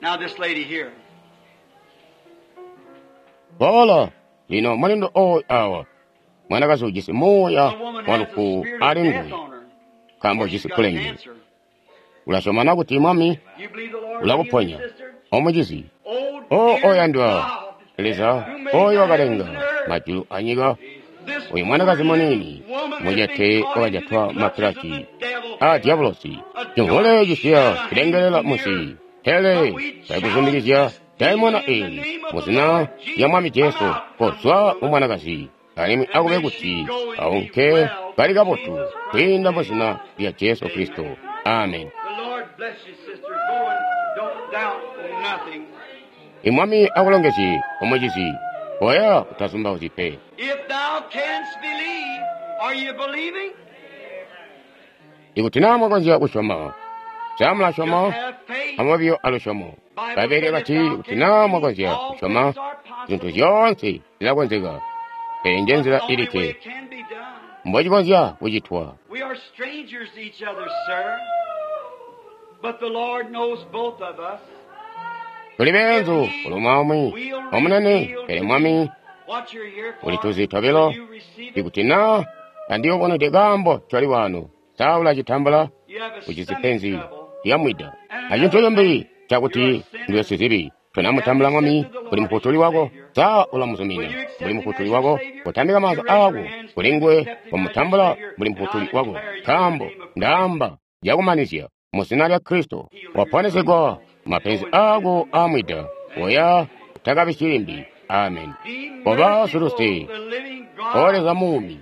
Now this lady here. Boola lino mulindu oyu awa mwanakazi ujisi muuya wa lufu ali nguwe nkaambo ujisi kkulenge. Ulasyoma kuti Mwami ulakuponya omucizi? O oyandwa Leza oyo wakalenga majulu anyika, uyu mwanakazi muniini mucete wakajatwa makkilasi a dyabulosi, cimvule cisiya cilengelela munsi, pele kaikuzumikizya daimona eeli mu zina lya Mwami Jesu kozwa mu mwanakazi, alimwi akube kuti aunke kali kabotu kwiinda mu zina lya Jesu Kristo. Amen. Imwami akulongezye omucizi, koya utazumbauzyi pe. Ikuti naa mwakonzya kusyoma, sa mulasyoma? Amubyo alusyomo. Bbaibbele kati kuti naa mwakonzya kusyoma, zintu zyoonse zilakonzeka. Pele njenzila ilikke mbocikonzya kucitwa. Tuli beenzu kulumwamwi omunene, pele Mwami ulituzi tobilo. Ikuti naa tandiyubunwide kaambo ncoli wano, sa ulacitambula? Ujisi penzi lyamwida. Acintu cimbi cakuti ndiwe sizibi. Tonamutambula Mwami kuli mufutuli wako, sa ulamuzumina mbuli mufutuli wako? Kotambika maanza aako kuli nguwe, wamutambula mbuli mufutuli wako. Nkaambo ndaamba zyakumanizya mu zina lya Kristo, waponesegwa mapenzi aako aamwida, oya utakabi cilimbi. Amen. Koba siluse, O Leza muumi.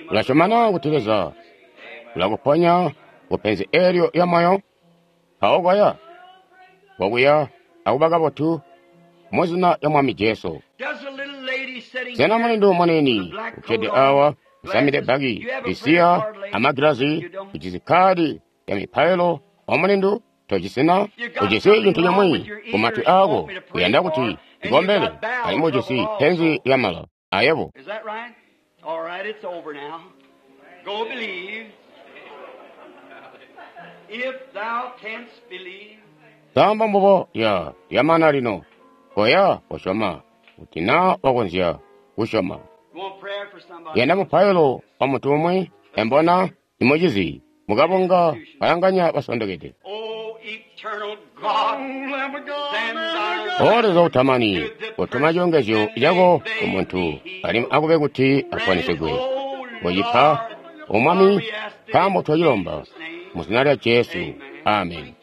Ulasyoma kuti Leza ulakuponya kupenzi eelyo lya moyo? Mpawo koya kokuya akuba kabotu mu zina lya Mwami Jesu. Sena mulindu muniini ukkede awa usamide bbaki lisiya amagilazi, ujisi kkaadi ya mipailo? Omulindu, tocisina? Ujisi cintu cimwi kumatwi aako uyanda kuti ndikombele, alimwi ujisi penzi lya mala ayebo. Samba mbubo ya lyamana lino. Koya kosyoma kuti naa wakonzya kusyoma. Yanda mupailo wa muntu umwi, embona imucizi mukabunga kalanganya basondokede. O Leza utamani, kotuma cilongezyo cako ku muntu, alimwi akube kuti aponesegwe. Kocipa, O Mwami, nkaambo twacilomba mu zina lya Jesu. Amen.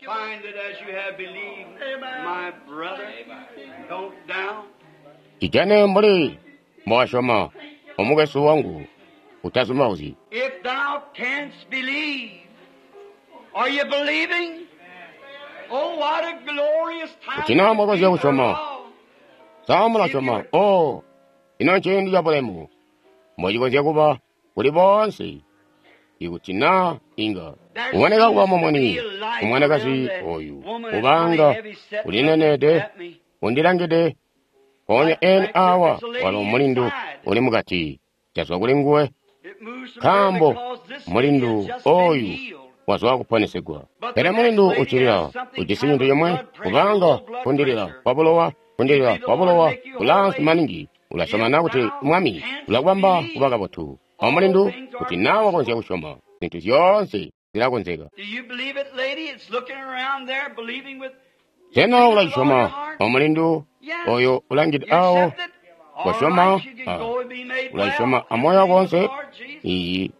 Cijane mbuli mbowasyoma, omukwesu wangu, utazumbauzyi. If thou canst believe, are you believing? Oh, what a glorious time! Kuti naa mwakonzya kusyoma, sa mulasyoma? O, ino nciindi cabulemu mbocikonzya kuba kuli boonse ikuti naa inga uboneka kuba mumuni kumwanakazi oyu ubanga ulineneede undilangide mpoonya eni awa walo mulindu uli mukati cazwa kuli nguwe nkaambo mulindu oyu wazwa kuponesegwa. Pele mulindu uccilila ujisi cintu cimwe kubanga kundilila kwa bulowa, kundilila kwa bulowa kulaansi maningi. Ulasyoma kuti Mwami ulakubamba kuba kabotu. O mulindu, kuti naa wakonzya kusyoma, zintu zyoonse zilakonzeka. Do you believe it, lady? It's looking around there, believing with. You Sena believe with all your ulacisyoma heart? omulindu Yes. oyo ulangide You awo? accept it? All Wasyoma? right, you can Ah. go and be made well. Ulacisyoma In the amoyo name wako of the wonse? Lord Jesus. Iyi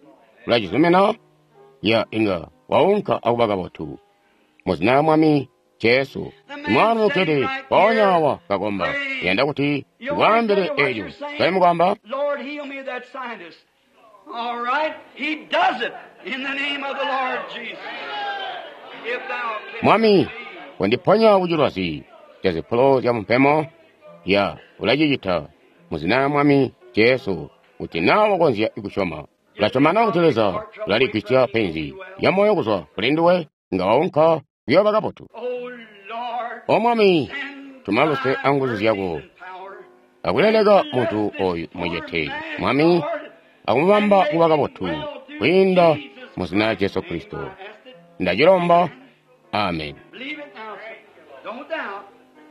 ulacizumina? Ya inga waunka akuba kabotu. Muzina lya Mwami Jesu. The man Mwami sitting ukkede right mpoonya here awa kakomba. praying. Yanda kuti You want me to ndikwaambile tell you what eco. you're saying? Kali mukwamba? Lord, heal me of that sinus. All right, He does it in the name of the Lord Jesus. If thou canst Mwami, believe. wandiponya kuchilwazi cha ziphulo zya mumpemo? Ya ulacicita. Muzina lya Mwami Jesu kuti nawe ukonzya kusyoma. You Ulasyoma think na I'll kuti get Leza heart trouble away ulaligwisya from you, you'll penzi be well. lya moyo kuzwa kuli nduwe inga waunka kuyooba kabotu. Oh Lord, O Mwami, send tuma luse thy anguzu mercies zyako and power akuleleka and bless munthu this oyu poor mucete. man, Mwami, Lord, and akumubamba make kuba him kabotu well through kwiinda Jesus mu zina lya Christ's Jesu name. Kristo. I asked it. Ndachilomba. Amen. Amen. Believe it now. sir. Don't doubt.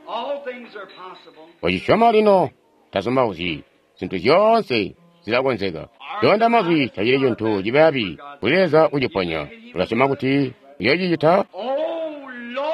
All things are possible. Wachisyoma lino tazumbauzyi zinthu zonse zilakonzeka. Yonda mazwi tachili chinthu chibayabi kuli Leza kuchiponya. Ulasyoma kuti uyochichita? Oh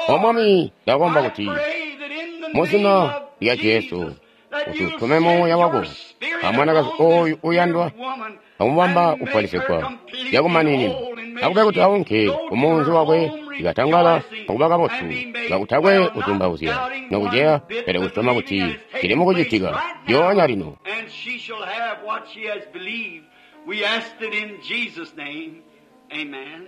O Lord, Mwami, ndakomba I kuti pray that in the mu name zina of lya Jesu Jesus that kuti you'll utume muuya send wako your spirit amwanakazi upon this oyu dear uyandwa woman akumubamba and make her kuponesegwa completely yakumaninina whole and may akube kuti she aunke go to kumunzi her wakwe home ikatangala rejoicing akuba kabotu and be made ngakutakwe well, not kuzumbauzya doubting nokucheya one bit, pele but kusyoma believing kuti that it's chili taking place mukuchitika right lyoonya now. lino. And she shall have what she has believed. We asked it in Jesus' name. Amen.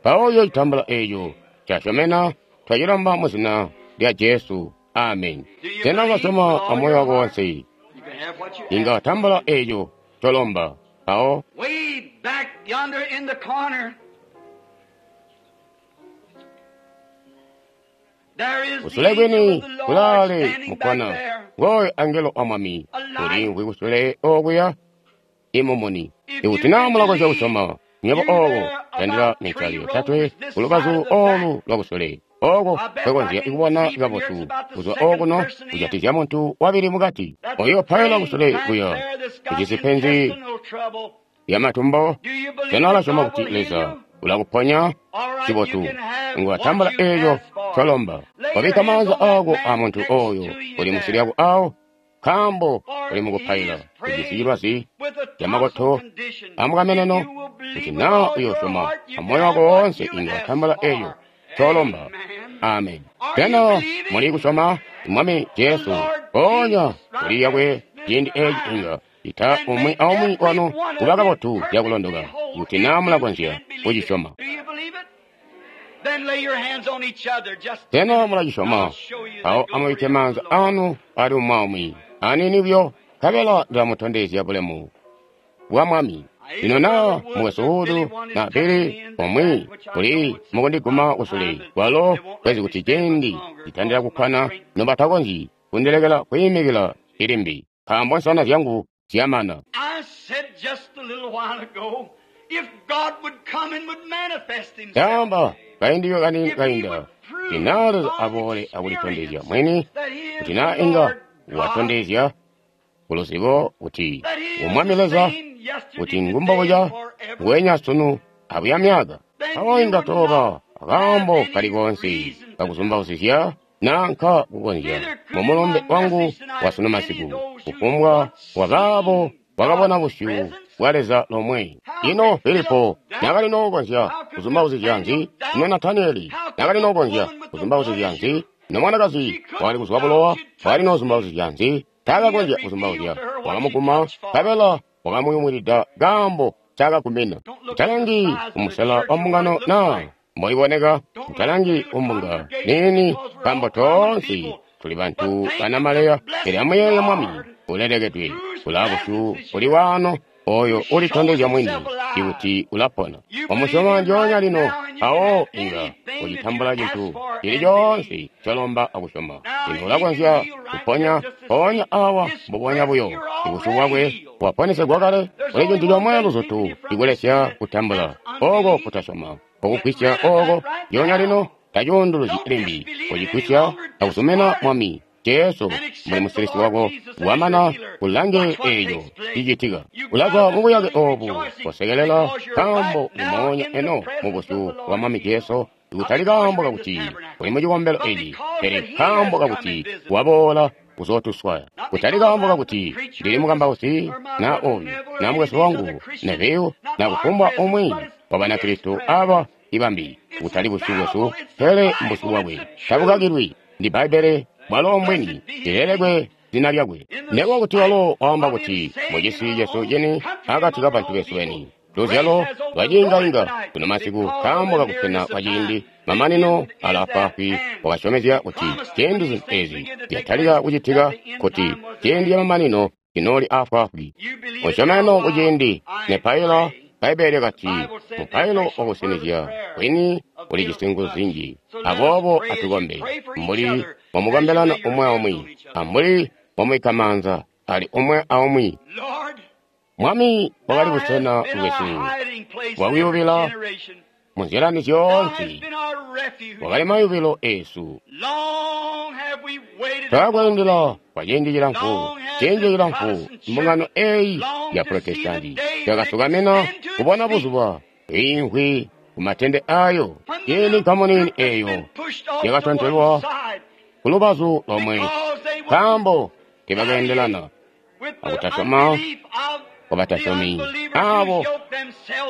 Paoyo chitambala echo chasyomena twachilomba mu zina lya Jesu. Amen. Do you Sena believe with ulasyoma all amoyo your wako heart? wonse You can have what you inga ask. watambala echo cholomba. Pawo Way back yonder in the corner, there is the kusule angel kwini of the Lord kulale standing back mukona there. ngoyo angelo wa Mwami A uli light. nkwi kusule okuya imumuni. If Ikuti you naa can mulakonzya believe, kusyoma nywebo you oko there tandila about three mitsali yotatwe rows this side kulubazu of the back. olu lwakusule oko I bet I kwekonzya can ikubona see from here it's kabotu about the kuzwa second okuno person in. kujatizya munthu wabili mukati That's oyo payola praying kusule back kuya there that's got ujisi penzi intestinal trouble. lya matumbo. Do you believe Sena that ulasyoma God kuti will heal Leza you? ulakuponya? All right, you Chibotu can have what nguwatambala you echo ask for. cholomba. Lay your Wabika hands maanza on that ako a man munthu next oyo to you uli there, musi lyako awo nkambo for uli he mukupaila is ujisi praying chilwazi with a cha tonsil makoto condition. If amukameneno you will kuti believe with naa all your uyosyoma heart, you can amoyo have wako what wonse you inga ask watambala echo for. cholomba. Amen. Amen. Are you Peno believing? muli kusyoma Mwami The Jesu Lord ponya Jesus right kuli there yakwe this ciindi eci time inga ita and umwi make aumwi every wanu one kuba of you kabotu perfectly yakulondoka whole kuti if naa you mulakonzya can believe it. kucisyoma. Do you believe it? Then lay your hands on each other just a Sena minute, and I'll mulacisyoma? show you the Pawo glory amubike of the maanza Lord. anu ali umwaumwi anini byo nkabela ndilamutondezya bulemu bwa Mwami. Lino naa Either Brother Woods mukwesu or Billy Wood one is na touching Billy me in the omwe back, which I know kuli it's mukundiguma about kusule time that kwalo they won't kwezi let me kuti stand much ciindi longer citandila because my kukkwana strength. nobatakonzyi kundilekela kuyimikila ilimbi nkaambo nsana zyangu zyamana. I said just a little while ago, if God would come and would manifest Himself, Ndaamba kaindiyo kani if He kainda would kuti prove naa Leza by aboole akulitondezya experience mwini that He is kuti the naa inga Lord God, watondezya kuluzibo kuti that He is umwami the Leza same yesterday, kuti today, and ngumbobuca forever, nguwenya sunu abuya myaka. then Awo you inga would tooba not have akaambo any kali konse reason to doubt. kakuzumbauzizya nanka kukonzya Neither could mu in mulumbe my wangu message tonight wa sunu any of masiku those who kufumbwa once wabaabo seen wakabona God's busyu presence. bwa Leza lomwe. How could Ino Philip Filipo doubt? nakali nookonzya How could kuzumbauzizya Nathaniel nzi? Ino doubt? Nataniyeli How could nakali the nookonzya woman with the blood kuzumbauzizya issue? nzi? Ino mwanakazi She wakali couldn't kuzwa doubt. bulowa She wakali touched him. noozumbauzizywa nzi? And he had Taakakonzya revealed kuzumbauzya. to her what she Wakamuguma touched for. nkabela wakamuyumwirida kaambo ncaakagumina. Don't look at the Mutalangi size of the kumusela church wa or what mbungano it looks naa like. mboiboneka. Don't look Mutalangi through the kumbunga congregation nini because we're nkaambo all common toonse people. tuli But bantu think of the banamaleya. Pele blessed amuyeeye Mwami Lord ulelekedwe whose ulaa busyu presence is uli here, waano oyo who shows ulitondezya mwini himself alive. ikuti ulapona. You believe Wamusyoma him ndyoonya right lino now, and you can awo have inga anything that you ucitambula ask cintu for cili and coonse believe. colomba akusyoma. Now Lino he can ulakonzya heal right here kuponya just the mpoonya same. awa His mbubonya presence, buyo. you're Ibusyu already bwakwe healed. bwaponesegwa kale. There's Kuli only cintu one comwe thing luzutu keeping you from ikulesya receiving it. kutambula That's oko unbelief. kutasyoma. Get Okugwisya rid of oko that right lyoonya lino now. tacuunduluzi Don't limbi. disbelieve it any Kucigwisya longer. akusumena Discard it. Mwami Jesu mbuli musilisi wako, wamana kulange eeco cicitika. Ulazwa mubuyake obu kosekelela nkaambo uli eno mubusyu bwa Mwami Jesu, kutali kaambo kakuti uli mucikombelo eci, pele kaambo kakuti waboola kuzootuswaya. Kutali kaambo kakuti ndili mukambausi na oyu na mukwesu wangu Neville na kufumbwa umwi wa Banakristo aba ibambi, kutali busyu bwesu, pele mbusyu bwakwe. Tabukakilwi ndi Bbaibbele bwalo mbwini, lilelekwe zina lyakwe. Nekuba kuti walo waamba kuti mucisi cesu cini akati ka bantu besu beni, luzyalo lwaciingainga kuno masiku nkaambo kakusena kwa ciindi mamanino alaafwaafwi. Wakasyomezya kuti ciindi zintu ezi zyatalika kucitika, kuti ciindi camamanino cinooli aafwaafwi. Usyoma eno kuciindi nepaila. Bbaibbele lyakati mupailo wakusinizya kwini ulijisi nguzu zinji. Aboobo atukombe mbuli mwamukombelana umwi aumwi, ambuli mwamubikka maanza ali umwi aumwi. Mwami wakali busena bwesu bwakuyubila munzilani zyoonse, wakali mayubilo esu. Twakweendela kwa ciindi cilamfu, ciindi cilamfu mbungano eyi ya Protestanti yakasukamina kubona buzuba iimvwi kumatende ayo. Ciindi nkamu nini eyo yakatontelwa kulubazu lomwe nkaambo tebakeendelana akutasyoma kwabatasyomi abo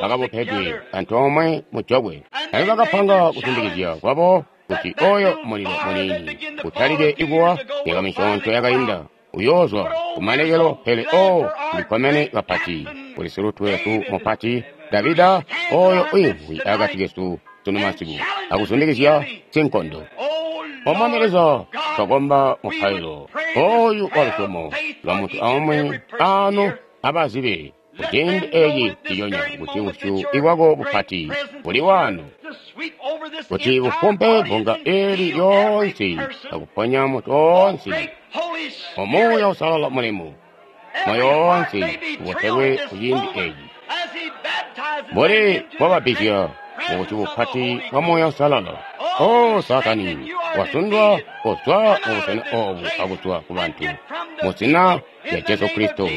bakabopedwe antoomwe mujokwe, alimwi bakapanga kusindikizya kwabo kuti oyo mulilo muniini utalike ikuwa. Myaka misyoonto yakainda uyoozwa kumalekelo, pele o ulikkomene kapati kuli silutwe wesu mupati Davida oyo uimvwi akati kesu sunu masiku akusundikizya sinkondo. O Mwami Leza, twakomba mupailo oyu wa lusyomo lwa muntu aumwi ano abazibe kuciindi eci ciyonya kuti busyu ibwako bupati buli wano, kuti bufumpe bbunga eli lyoonse akuponya muntu oonse. Omuuya Usalala mulemu, moyo woonse ubotelwe kuciindi eci mbuli bwababbizya mubusi bupati bwa Muuya Usalala. O Saatani, wasundwa kuzwa mubusena obu akuzwa ku bantu mu zina lya Jesu Kristo,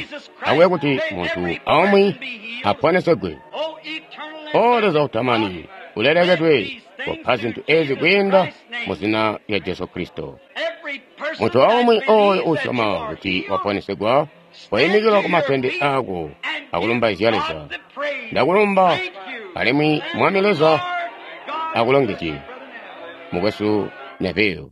akube kuti muntu aumwi aponesegwe. O Leza utamani, ulelekedwe kupa zintu ezi kwiinda mu zina lya Jesu Kristo. Muntu aumwi oyo usyoma kuti waponesegwa, wayimikila ku matende ako akulumbaizya Leza. Ndakulumba, alimwi Mwami Leza akulongezye. Mukwesu Neville.